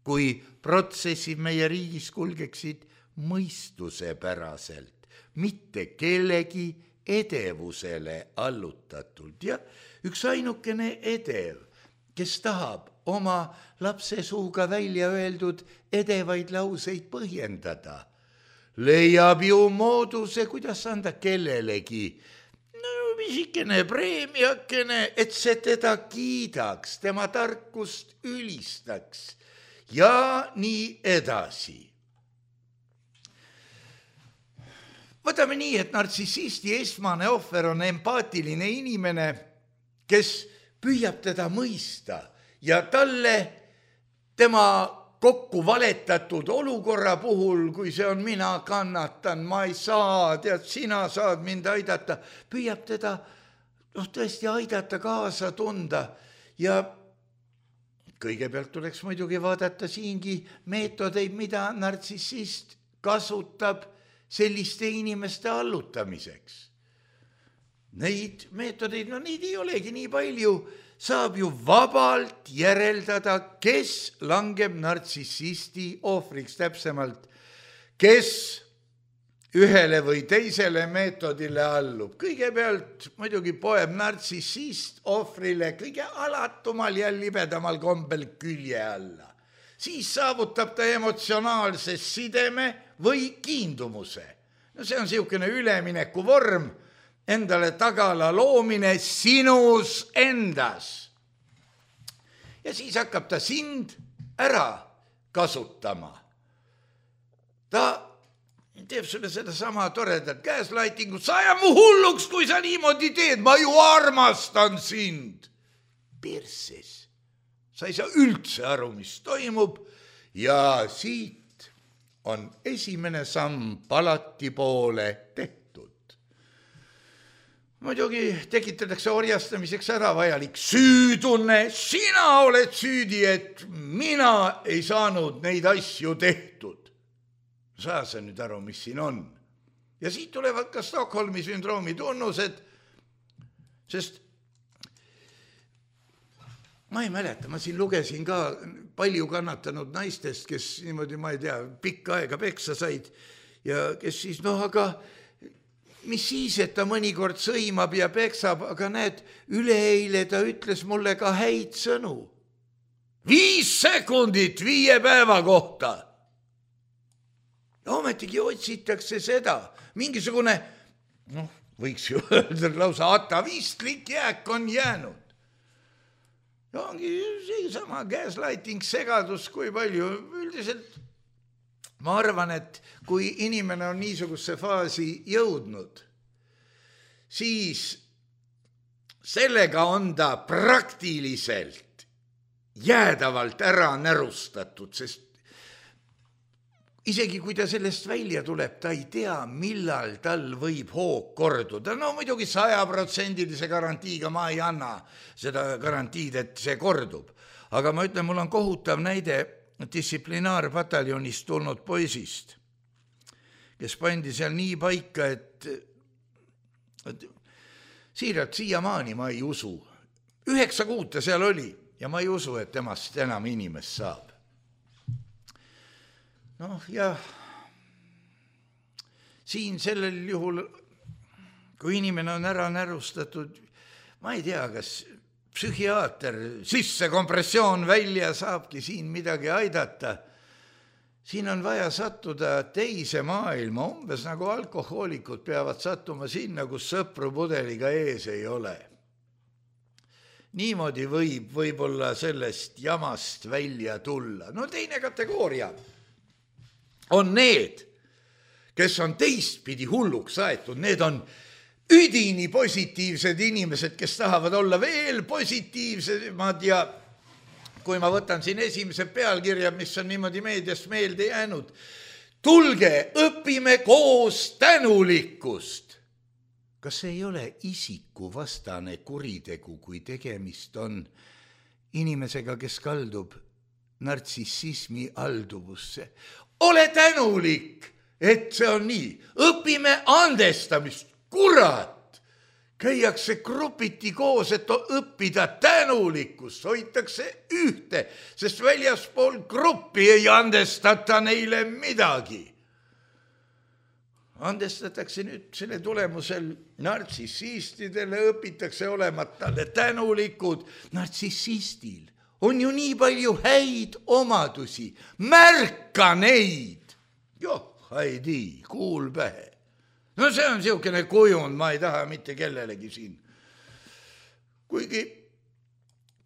kui protsessid meie riigis kulgeksid mõistuse päraselt, mitte kellegi edevusele allutatult. Ja üks ainukene edev, kes tahab oma lapse suuga välja öeldud edevaid lauseid põhjendada, leiab ju mooduse, kuidas anda kellelegi no, visikene preemiakene, et see teda kiidaks, tema tarkust ülistaks ja nii edasi. Võtame nii, et nartsissisti esmane ohver on empaatiline inimene, kes püüab teda mõista ja talle tema kokku valetatud olukorra puhul, kui see on mina kannatan, ma ei saa, tead, sina saad mind aidata, püüab teda noh, tõesti aidata, kaasa tunda ja kõigepealt tuleks muidugi vaadata siingi meetodeid, mida nartsissist kasutab selliste inimeste allutamiseks. Neid meetodeid, no neid ei olegi nii palju, saab ju vabalt järeldada, kes langeb nartsissisti ohvriks täpsemalt, kes ühele või teisele meetodile allub. Kõigepealt muidugi poeb nartsissist ohvrile kõige alatumal ja libedamal kombel külje alla. Siis saavutab ta emotsionaalse sideme või kiindumuse. No see on siukene ülemineku vorm, endale tagala loomine sinus endas. Ja siis hakkab ta sind ära kasutama. Ta teeb sulle seda sama toredat gaslightingut, sa ajab mu hulluks, kui sa niimoodi teed, ma ju armastan sind. Perses. Sa ei saa üldse aru, mis toimub ja siit on esimene samm palati poole tehtud. Muidugi tekitatakse orjastamiseks ära vajalik süütunne, sina oled süüdi, et mina ei saanud neid asju tehtud. Saa sa nüüd aru, mis siin on. Ja siit tulevad ka Stockholmi sündroomi tunnused, sest ma ei mäleta, ma siin lugesin ka palju kannatanud naistest, kes niimoodi, ma ei tea, pikka aega peksa said ja kes siis, noh, aga mis siis, et ta mõnikord sõimab ja peksab, aga näed, üleeile ta ütles mulle ka häid sõnu. Viis sekundit viie päeva kohta. Ja ometigi otsitakse seda. Mingisugune, noh, võiks ju öelda lausa atavistlik jääk on jäänud. Ja ongi see sama gaslighting, segadus, kui palju. Üldiselt ma arvan, et kui inimene on niisugusse faasi jõudnud, siis sellega on ta praktiliselt jäädavalt ära närustatud, sest isegi kui ta sellest välja tuleb, ta ei tea, millal tal võib hoog korduda. No muidugi sajaprotsendilise garantiiga ma ei anna seda garantiid, et see kordub. Aga ma ütlen, mul on kohutav näide distsiplinaarpataljonist tulnud poisist, kes pandi seal nii paika, et, et siiralt siiamaani ma ei usu. Üheksa kuud ta seal oli ja ma ei usu, et temast enam inimest saab. Noh, ja siin sellel juhul, kui inimene on ära närustatud, ma ei tea, kas psühhiaater sisse kompressioon välja saabki siin midagi aidata, siin on vaja sattuda teise maailma, umbes nagu alkohoolikud peavad sattuma sinna, kus sõpru pudeliga ees ei ole. Niimoodi võib võib-olla sellest jamast välja tulla. No teine kategooria on need, kes on teistpidi hulluks aetud. Need on üdini positiivsed inimesed, kes tahavad olla veel positiivsemad ja kui ma võtan siin esimese pealkirja, mis on niimoodi meediast meelde jäänud. Tulge, õpime koos tänulikkust. Kas see ei ole isikuvastane kuritegu, kui tegemist on inimesega, kes kaldub nartsissismi alduvusse? Ole tänulik, et see on nii. Õpime andestamist, kurat! Käiakse grupiti koos, et õppida tänulikkust, hoitakse ühte, sest väljaspool gruppi ei andestata neile midagi. Andestatakse nüüd selle tulemusel nartsissistidele, õpitakse olema talle tänulikud. Nartsissistil on ju nii palju häid omadusi. Märka neid! Joh, haidi, kuul pähe. No see on siukene kujund, ma ei taha mitte kellelegi siin. Kuigi,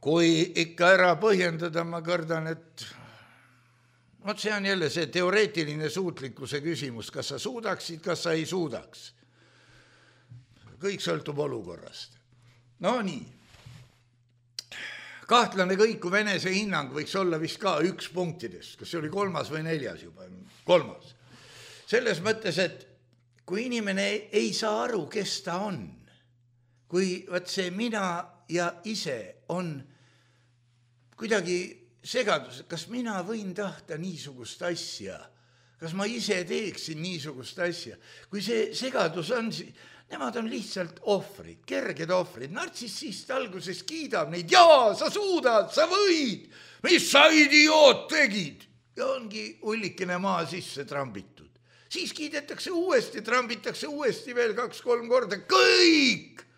kui ikka ära põhjendada, ma kardan, et Vot see on jälle see teoreetiline suutlikkuse küsimus, kas sa suudaksid, kas sa ei suudaks. Kõik sõltub olukorrast. No nii. Kahtlane kõikuv enese hinnang võiks olla vist ka üks punktidest, kas see oli kolmas või neljas juba, kolmas. Selles mõttes, et kui inimene ei saa aru, kes ta on, kui võt see mina ja ise on kuidagi segadus, kas mina võin tahta niisugust asja, kas ma ise teeksin niisugust asja, kui see segadus on, nemad on lihtsalt ohvrid, kerged ohvrid, nartsissist alguses kiidab neid, jaa, sa suudad, sa võid, mis sa idioot tegid, ja ongi ullikene maa sisse trambitud. Siis kiidetakse uuesti, trambitakse uuesti veel kaks-kolm korda, kõik!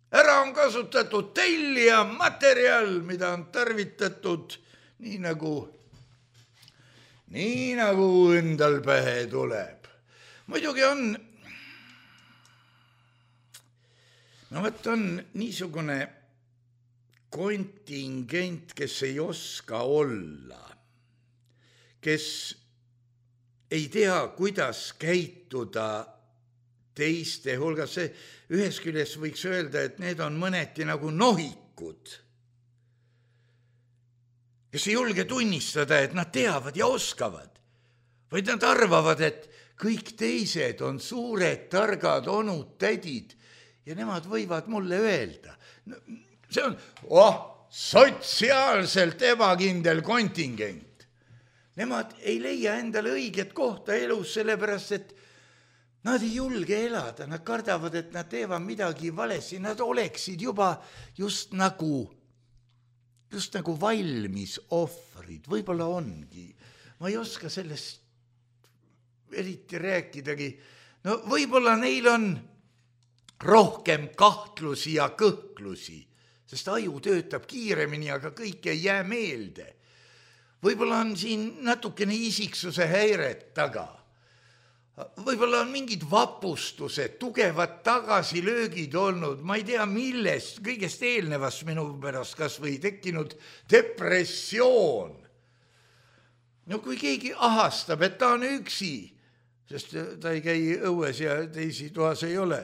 Ära on kasutatud tellija materjal, mida on tarvitatud nii nagu, nii nagu endal pähe tuleb. Muidugi on, no võt on niisugune kontingent, kes ei oska olla, kes ei tea, kuidas käituda teiste hulgas. See ühes küljes võiks öelda, et need on mõneti nagu nohikud, kes ei julge tunnistada, et nad teavad ja oskavad, vaid nad arvavad, et kõik teised on suured, targad onud, tädid ja nemad võivad mulle öelda. See on oh, sotsiaalselt ebakindel kontingent. Nemad ei leia endale õiget kohta elus, sellepärast, et nad ei julge elada, nad kardavad, et nad teevad midagi valesti, nad oleksid juba just nagu, just nagu valmis ohvrid, võib-olla ongi. Ma ei oska sellest eriti rääkidagi. No võib-olla neil on rohkem kahtlusi ja kõhklusi, sest aju töötab kiiremini, aga kõik ei jää meelde. Võib-olla on siin natukene isiksuse häiret taga. Võib-olla on mingid vapustused, tugevad tagasilöögid olnud, ma ei tea millest, kõigest eelnevast minu pärast kas või tekkinud depressioon. No kui keegi ahastab, et ta on üksi, sest ta ei käi õues ja teisi toas ei ole,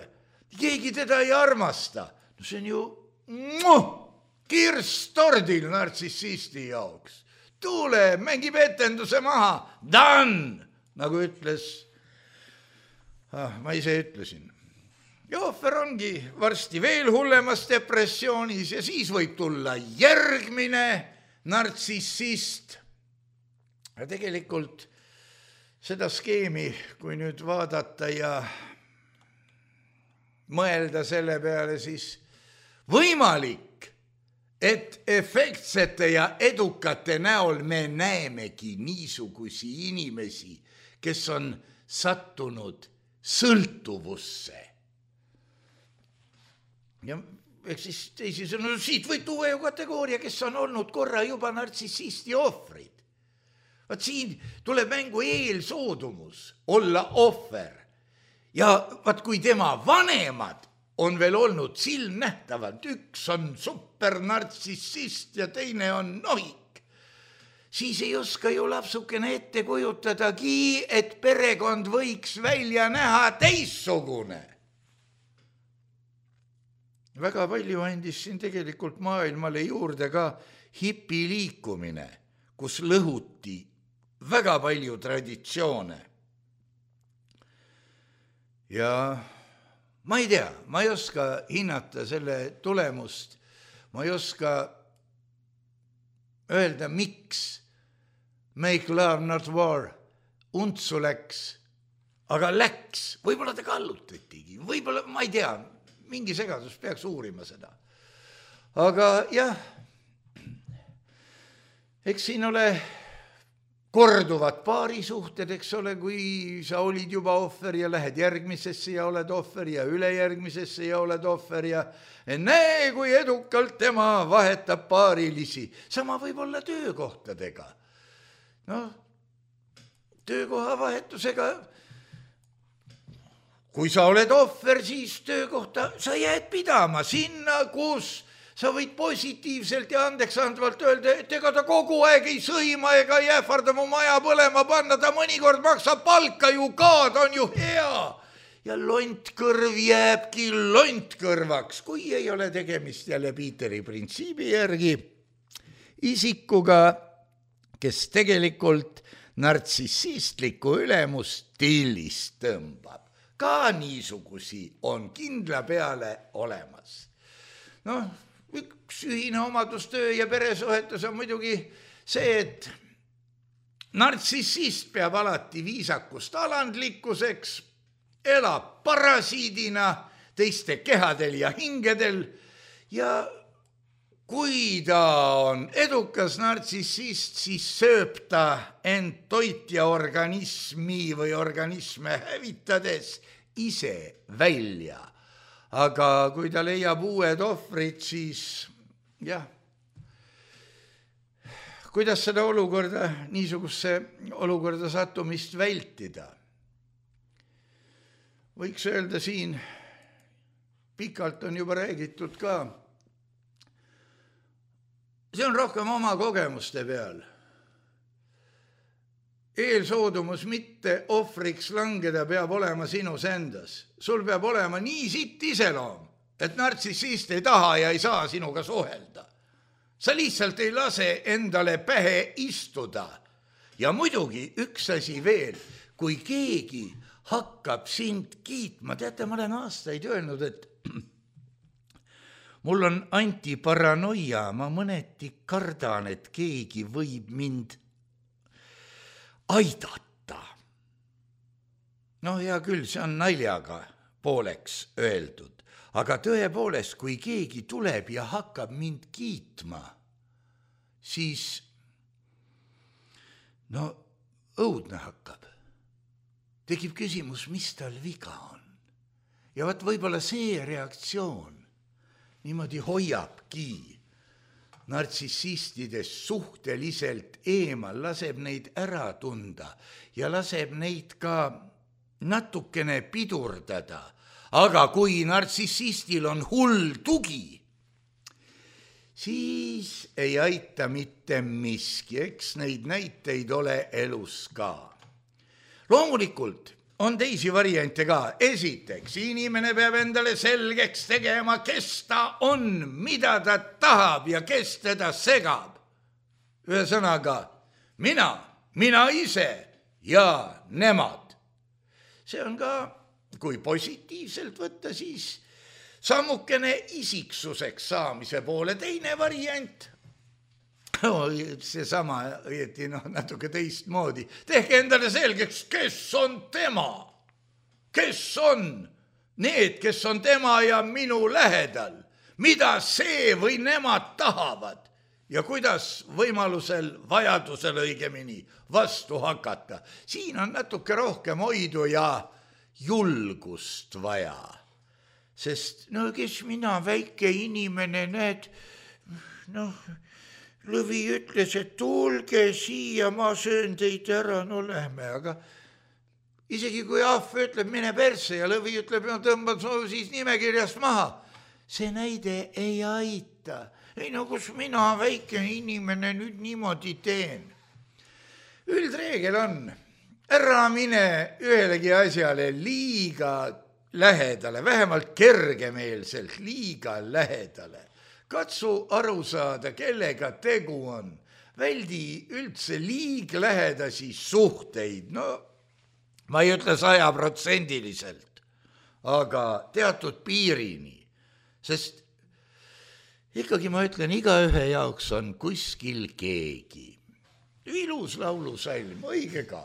keegi teda ei armasta, no see on ju muh, kirstordil nartsissisti jaoks. Tuule, mängib etenduse maha, done, nagu ütles Ah, ma ise ütlesin. Ja ohver ongi varsti veel hullemas depressioonis ja siis võib tulla järgmine nartsissist. Ja tegelikult seda skeemi, kui nüüd vaadata ja mõelda selle peale, siis võimalik, et efektsete ja edukate näol me näemegi niisugusi inimesi, kes on sattunud sõltuvusse. Ja eks siis teisisõnu, siit võib tuua ju kategooria, kes on olnud korra juba nartsissisti ohvrid. Vaat siin tuleb mängu eelsoodumus olla ohver ja vaat kui tema vanemad on veel olnud silmnähtavalt, üks on supernartsissist ja teine on nohik, siis ei oska ju lapsukene ette kujutadagi, et perekond võiks välja näha teissugune. Väga palju andis siin tegelikult maailmale juurde ka hipiliikumine, kus lõhuti väga palju traditsioone. Ja ma ei tea, ma ei oska hinnata selle tulemust, ma ei oska öelda, miks Make Love Not War untsu läks, aga läks, võib-olla ta kallutatigi, võib-olla, ma ei tea, mingi segadus peaks uurima seda. Aga jah, eks siin ole korduvad paarisuhted, eks ole, kui sa olid juba ohver ja lähed järgmisesse ja oled ohver ja ülejärgmisesse ja oled ohver ja näe, kui edukalt tema vahetab paarilisi. Sama võib olla töökohtadega. No, töökoha vahetusega, kui sa oled ohver, siis töökohta sa jääd pidama sinna, kus sa võid positiivselt ja andeks andvalt öelda, et ega ta kogu aeg ei sõima ega ei ähvarda mu maja põlema panna, ta mõnikord maksab palka ju ka, ta on ju hea. Ja lontkõrv jääbki lontkõrvaks, kui ei ole tegemist jälle Piiteri printsiibi järgi isikuga, kes tegelikult nartsissistlikku ülemust tillist tõmbab. Ka niisugusi on kindla peale olemas. Noh, üks ühine omadus töö ja peresuhetus on muidugi see, et nartsissist peab alati viisakust alandlikkuseks, elab parasiidina teiste kehadel ja hingedel ja kui ta on edukas nartsissist, siis sööb ta end toitja organismi või organisme hävitades ise välja. Aga kui ta leiab uued ohvrid, siis jah, kuidas seda olukorda, niisugusse olukorda sattumist vältida? Võiks öelda siin, pikalt on juba räägitud ka, see on rohkem oma kogemuste peal. Eelsoodumus mitte ohvriks langeda peab olema sinus endas. Sul peab olema nii sitt iseloom, et nartsissist ei taha ja ei saa sinuga suhelda. Sa lihtsalt ei lase endale pähe istuda. Ja muidugi üks asi veel, kui keegi hakkab sind kiitma, teate, ma olen aastaid öelnud, et mul on antiparanoia, ma mõneti kardan, et keegi võib mind aidata. No hea küll, see on naljaga pooleks öeldud, aga tõepoolest, kui keegi tuleb ja hakkab mind kiitma, siis no õudne hakkab. Tekib küsimus, mis tal viga on. Ja vaat võib-olla see reaktsioon niimoodi hoiabki nartsissistidest suhteliselt eemal, laseb neid ära tunda ja laseb neid ka natukene pidurdada. Aga kui nartsissistil on hull tugi, siis ei aita mitte miski, eks neid näiteid ole elus ka. Loomulikult on teisi variante ka. Esiteks, inimene peab endale selgeks tegema, kes ta on, mida ta tahab ja kes teda segab. Ühesõnaga, mina, mina ise ja nemad. See on ka, kui positiivselt võtta, siis sammukene isiksuseks saamise poole. Teine variant, see sama, õieti noh, natuke teistmoodi. Tehke endale selgeks, kes on tema, kes on need, kes on tema ja minu lähedal, mida see või nemad tahavad ja kuidas võimalusel, vajadusel õigemini vastu hakata. Siin on natuke rohkem hoidu ja julgust vaja, sest no kes mina, väike inimene, näed, noh, Lõvi ütles, et tulge siia, ma söön teid ära, no lähme, aga isegi kui ahv ütleb, mine persse ja Lõvi ütleb, no tõmbad no, siis nimekirjast maha. See näide ei aita. Ei no kus mina, väike inimene, nüüd niimoodi teen. Üldreegel on, ära mine ühelegi asjale liiga lähedale, vähemalt kergemeelselt liiga lähedale. Katsu aru saada, kellega tegu on. Väldi üldse liiglähedasi suhteid. No, ma ei ütle sajaprotsendiliselt, aga teatud piirini. Sest ikkagi ma ütlen, igaühe jaoks on kuskil keegi. Ilus laulusalm, õige ka.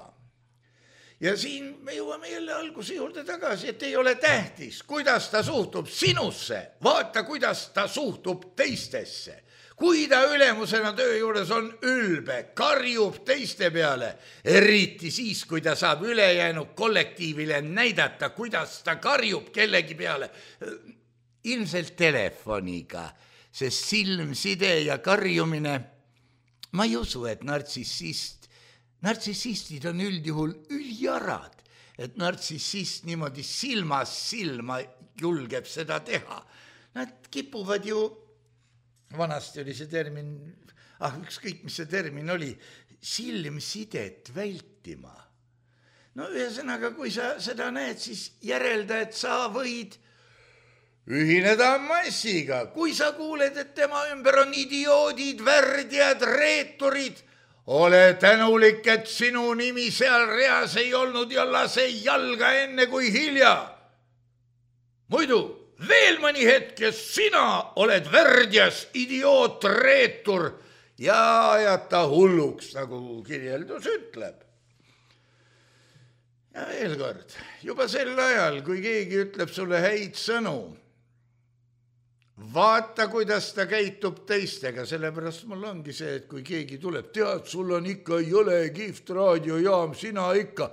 Ja siin me jõuame jälle alguse juurde tagasi, et ei ole tähtis, kuidas ta suhtub sinusse. Vaata, kuidas ta suhtub teistesse. Kui ta ülemusena töö juures on ülbe, karjub teiste peale, eriti siis, kui ta saab ülejäänud kollektiivile näidata, kuidas ta karjub kellegi peale. Ilmselt telefoniga, sest silmside ja karjumine, ma ei usu, et nartsissist Nartsissistid on üldjuhul üljarad, et nartsissist niimoodi silmas silma julgeb seda teha. Nad kipuvad ju, vanasti oli see termin, ah ükskõik mis see termin oli, silmsidet vältima. No ühesõnaga, kui sa seda näed, siis järelda, et sa võid ühineda massiga. Kui sa kuuled, et tema ümber on idioodid, värdjad, reeturid, ole tänulik, et sinu nimi seal reas ei olnud ja lase jalga enne kui hilja. Muidu veel mõni hetk ja sina oled värdjas, idioot, reetur ja ajata hulluks, nagu kirjeldus ütleb. Ja veel kord, juba sel ajal, kui keegi ütleb sulle häid sõnu, vaata, kuidas ta käitub teistega, sellepärast mul ongi see, et kui keegi tuleb, tead, sul on ikka jõle kihvt raadiojaam, sina ikka.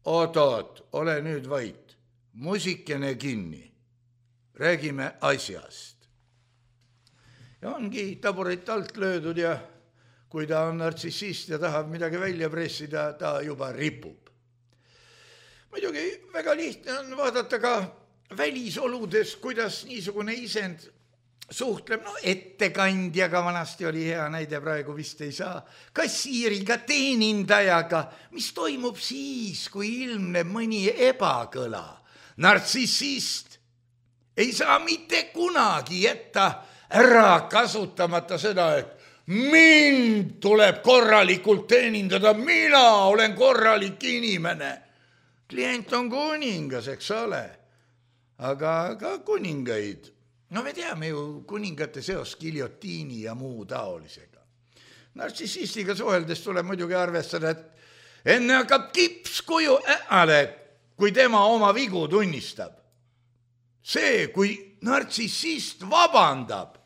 Oot-oot, ole nüüd vait, musikene kinni, räägime asjast. Ja ongi taburit alt löödud ja kui ta on nartsissist ja tahab midagi välja pressida, ta juba ripub. Muidugi väga lihtne on vaadata ka välisoludes, kuidas niisugune isend suhtleb, no ettekandjaga vanasti oli hea näide, praegu vist ei saa, kassiiriga, teenindajaga, mis toimub siis, kui ilmneb mõni ebakõla. Nartsissist ei saa mitte kunagi jätta ära kasutamata seda, et mind tuleb korralikult teenindada, mina olen korralik inimene. Klient on kuningas, eks ole. Aga ka kuningaid, no me teame ju kuningate seos giljotiini ja muu taolisega. Nartsissistiga suheldes tuleb muidugi arvestada, et enne hakkab kipskuju äale, kui tema oma vigu tunnistab. See, kui nartsissist vabandab,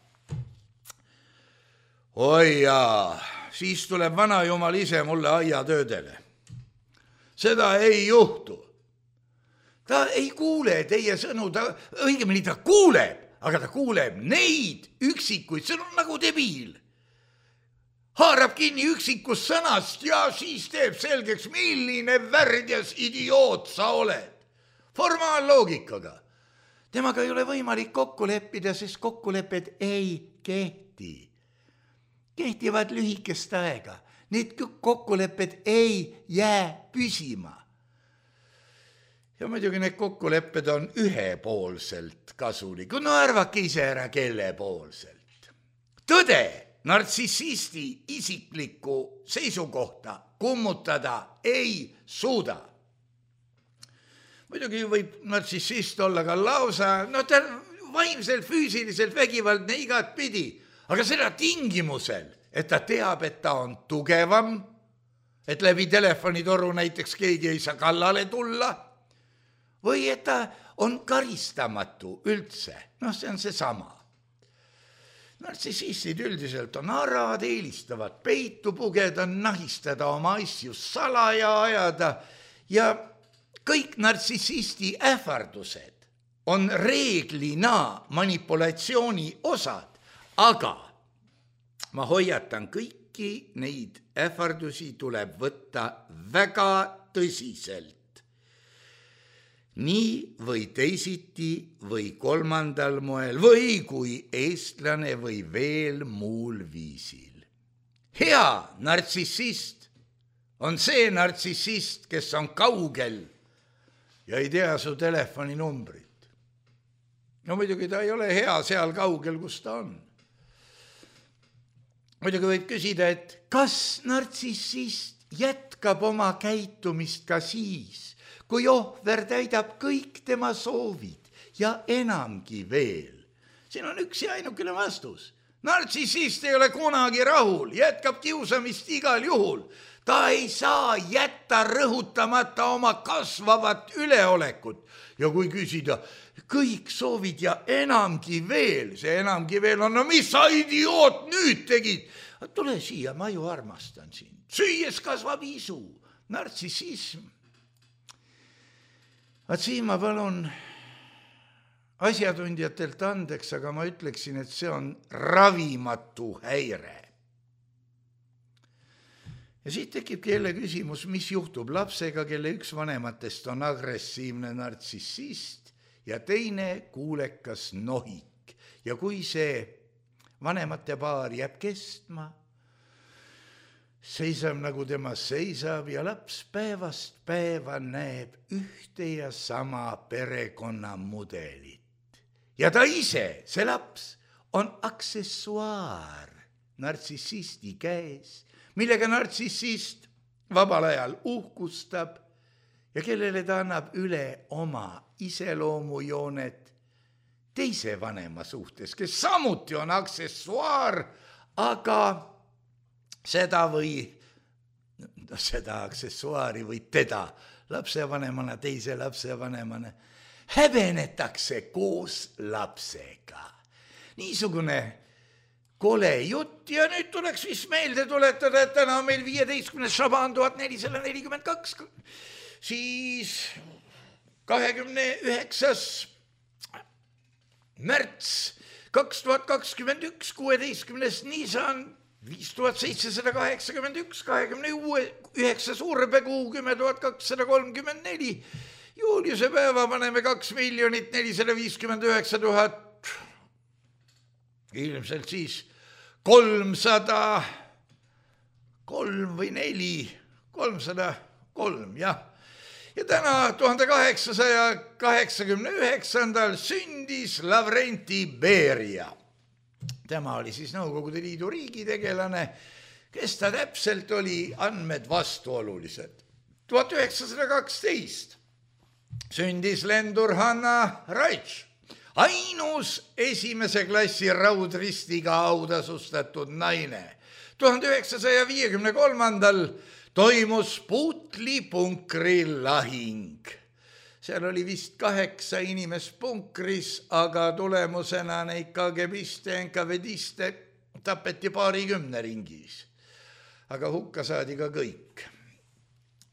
oi jaa, siis tuleb vanajumal ise mulle aiatöödele. Seda ei juhtu. Ta ei kuule teie sõnu, ta, õigemini ta kuuleb, aga ta kuuleb neid üksikuid, see on nagu debiil. Haarab kinni üksikust sõnast ja siis teeb selgeks, milline värdjas idioot sa oled. Formaalloogikaga. Temaga ei ole võimalik kokku leppida, sest kokkulepped ei kehti. Kehtivad lühikest aega. Need kokkulepped ei jää püsima. Ja muidugi need kokkulepped on ühepoolselt kasulik. No arvake ise ära, kelle poolselt. Tõde nartsissisti isiklikku seisukohta kummutada ei suuda. Muidugi võib nartsissist olla ka lausa, no ta vaimselt, füüsiliselt vägivaldne igat pidi, aga seda tingimusel, et ta teab, et ta on tugevam, et läbi telefonitoru näiteks keegi ei saa kallale tulla, või et ta on karistamatu üldse. Noh, see on see sama. Nartsissistid üldiselt on arad, eelistavad peitu pugeda, nahistada oma asju salaja ajada ja kõik nartsissisti ähvardused on reeglina manipulatsiooni osad, aga ma hoiatan kõiki neid ähvardusi tuleb võtta väga tõsiselt. nii või teisiti või kolmandal moel või kui eestlane või veel muul viisil. Hea nartsissist on see nartsissist, kes on kaugel ja ei tea su telefoninumbrit. No muidugi ta ei ole hea seal kaugel, kus ta on. Muidugi võib küsida, et kas nartsissist jätkab oma käitumist ka siis, kui ohver täidab kõik tema soovid ja enamgi veel. Siin on üks ja ainukene vastus. Nartsissist ei ole kunagi rahul, jätkab kiusamist igal juhul. Ta ei saa jätta rõhutamata oma kasvavat üleolekut. Ja kui küsida, kõik soovid ja enamgi veel, see enamgi veel on, no mis sa idioot nüüd tegid? Tule siia, ma ju armastan sind. Süües kasvab isu, nartsissism. Vaat siin ma palun asjatundjatelt andeks, aga ma ütleksin, et see on ravimatu häire. Ja siit tekibki jälle küsimus, mis juhtub lapsega, kelle üks vanematest on agressiivne nartsissist ja teine kuulekas nohik. Ja kui see vanemate paar jääb kestma, seisab nagu tema seisab ja laps päevast päeva näeb ühte ja sama perekonnamudelit. Ja ta ise, see laps, on aksessuaar nartsissisti käes, millega nartsissist vabal ajal uhkustab ja kellele ta annab üle oma iseloomujoonet teise vanema suhtes, kes samuti on aksessuaar, aga seda või seda aksessuaari või teda lapsevanemana, teise lapsevanemana häbenetakse koos lapsega. Niisugune kole jutt ja nüüd tuleks vist meelde tuletada, et täna on meil viieteistkümnes šabaan tuhat nelisada nelikümmend kaks, siis kahekümne üheksas märts kaks tuhat kakskümmend üks, kuueteistkümnes Nisan viis tuhat seitsesada kaheksakümmend üks, kahekümne üheksa Suurepekuu kümme tuhat kakssada kolmkümmend neli, Juuliuse päeva paneme kaks miljonit nelisada viiskümmend üheksa tuhat, ilmselt siis kolmsada kolm või neli, kolmsada kolm, jah. Ja täna tuhande kaheksasaja kaheksakümne üheksandal sündis Lavrenti Beria. Tema oli siis Nõukogude Liidu riigitegelane, kes ta täpselt oli, andmed vastuolulised. tuhat üheksasada kaksteist sündis lendur Hanna Raitš, ainus esimese klassi raudristiga autasustatud naine. tuhande üheksasaja viiekümne kolmandal toimus Putli punkri lahing. Seal oli vist kaheksa inimest punkris, aga tulemusena neid kagebiste, enkavediste tapeti paarikümne ringis. Aga hukka saadi ka kõik.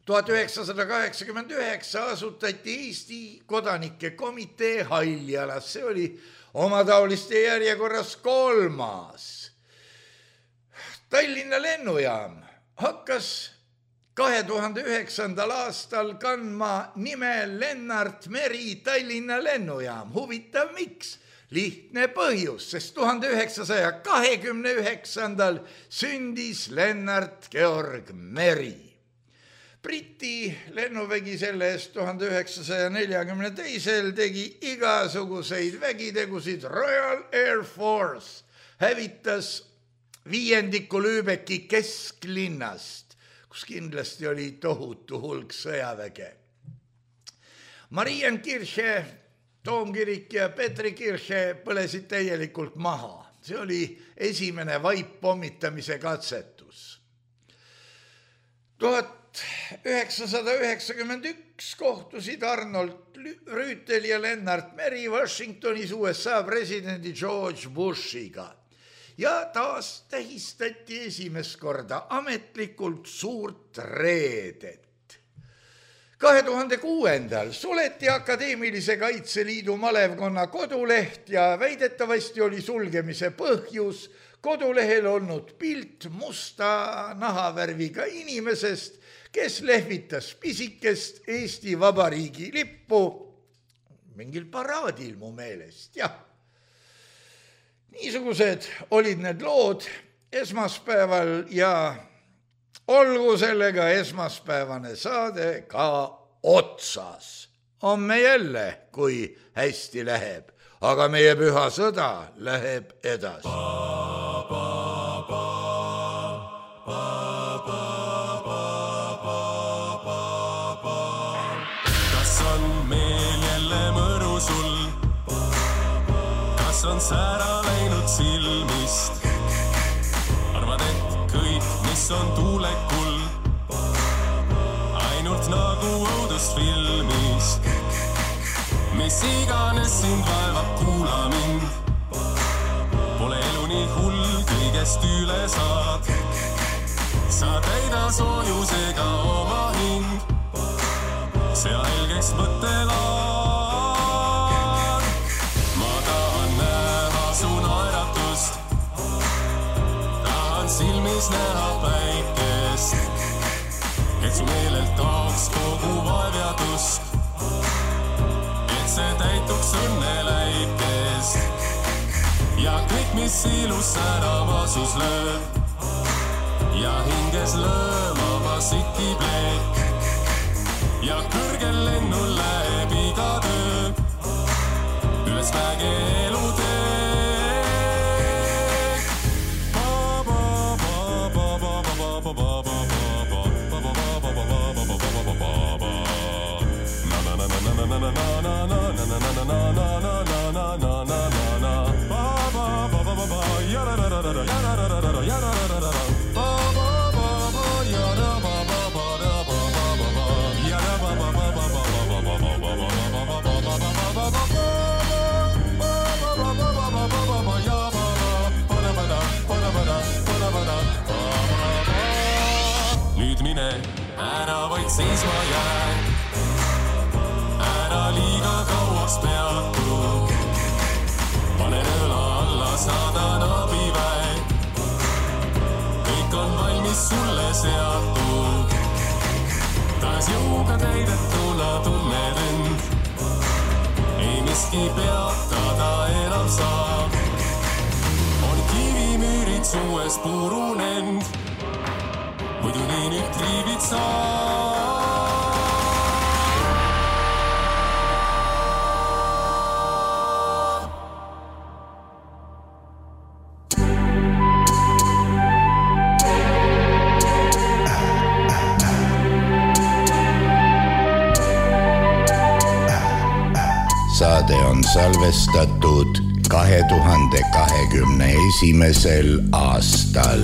tuhat üheksasada kaheksakümmend üheksa asutati Eesti kodanike komitee Haljalas. See oli omataoliste järjekorras kolmas. Tallinna lennujaam hakkas kahe tuhande üheksandal aastal kandma nime Lennart Meri Tallinna lennujaam. Huvitav, miks? Lihtne põhjus, sest tuhande üheksasaja kahekümne üheksandal sündis Lennart Georg Meri. Briti lennuvägi selle eest tuhande üheksasaja neljakümne teisel tegi igasuguseid vägitegusid. Royal Air Force hävitas viiendiku Lübecki kesklinnast, kus kindlasti oli tohutu hulk sõjaväge. Marienkirche, Toomkirik ja Petrikirche põlesid täielikult maha. See oli esimene vaippommitamise katsetus. tuhat üheksasada üheksakümmend üks kohtusid Arnold Rüütel ja Lennart Meri Washingtonis U S A presidendi George Bushiga. Ja taas tähistati esimest korda ametlikult suurt reedet. kahe tuhande kuuendal suleti Akadeemilise Kaitseliidu malevkonna koduleht ja väidetavasti oli sulgemise põhjus kodulehel olnud pilt musta nahavärviga inimesest, kes lehvitas pisikest Eesti Vabariigi lippu mingil paraadil mu meelest, jah. Niisugused olid need lood esmaspäeval ja olgu sellega esmaspäevane saade ka otsas. Homme jälle, kui hästi läheb, aga meie püha sõda läheb edasi. Kas on meel jälle mõru sul? Kas on säära läinud silmist? Arvad, et kõik, mis on tuulekul, ainult nagu õudusfilmis. Mis iganes sind vaevab, kuula mind. Pole elu nii hull, kõigest üle saad. Sa täida soojusega oma hing. See helgeks mõttelaad. Ma tahan näha su naeratust. Tahan silmis näha päikest. Et su meelelt taoks kogu vaevjadust. Et see täituks õnne läikest. Ja kõik, mis ilus säravasus lööb. Ja hinges lõõmama siki pleek. Ja kõrgel lennul läheb iga töö. Üles mäge elu teek. Nüüd mine, ära vaid seisma jää. Ära liiga kauaks peatu. Pane nõla alla, saadan abiväe. Kõik on valmis sulle seatud. Taas jõuga täidetuna tunned end. Ei miski peatada enam saab. On kivimüürid suues purunend. Muidu nii nüüd triibid saab. Saade on salvestatud kahe tuhande kahekümne esimesel aastal.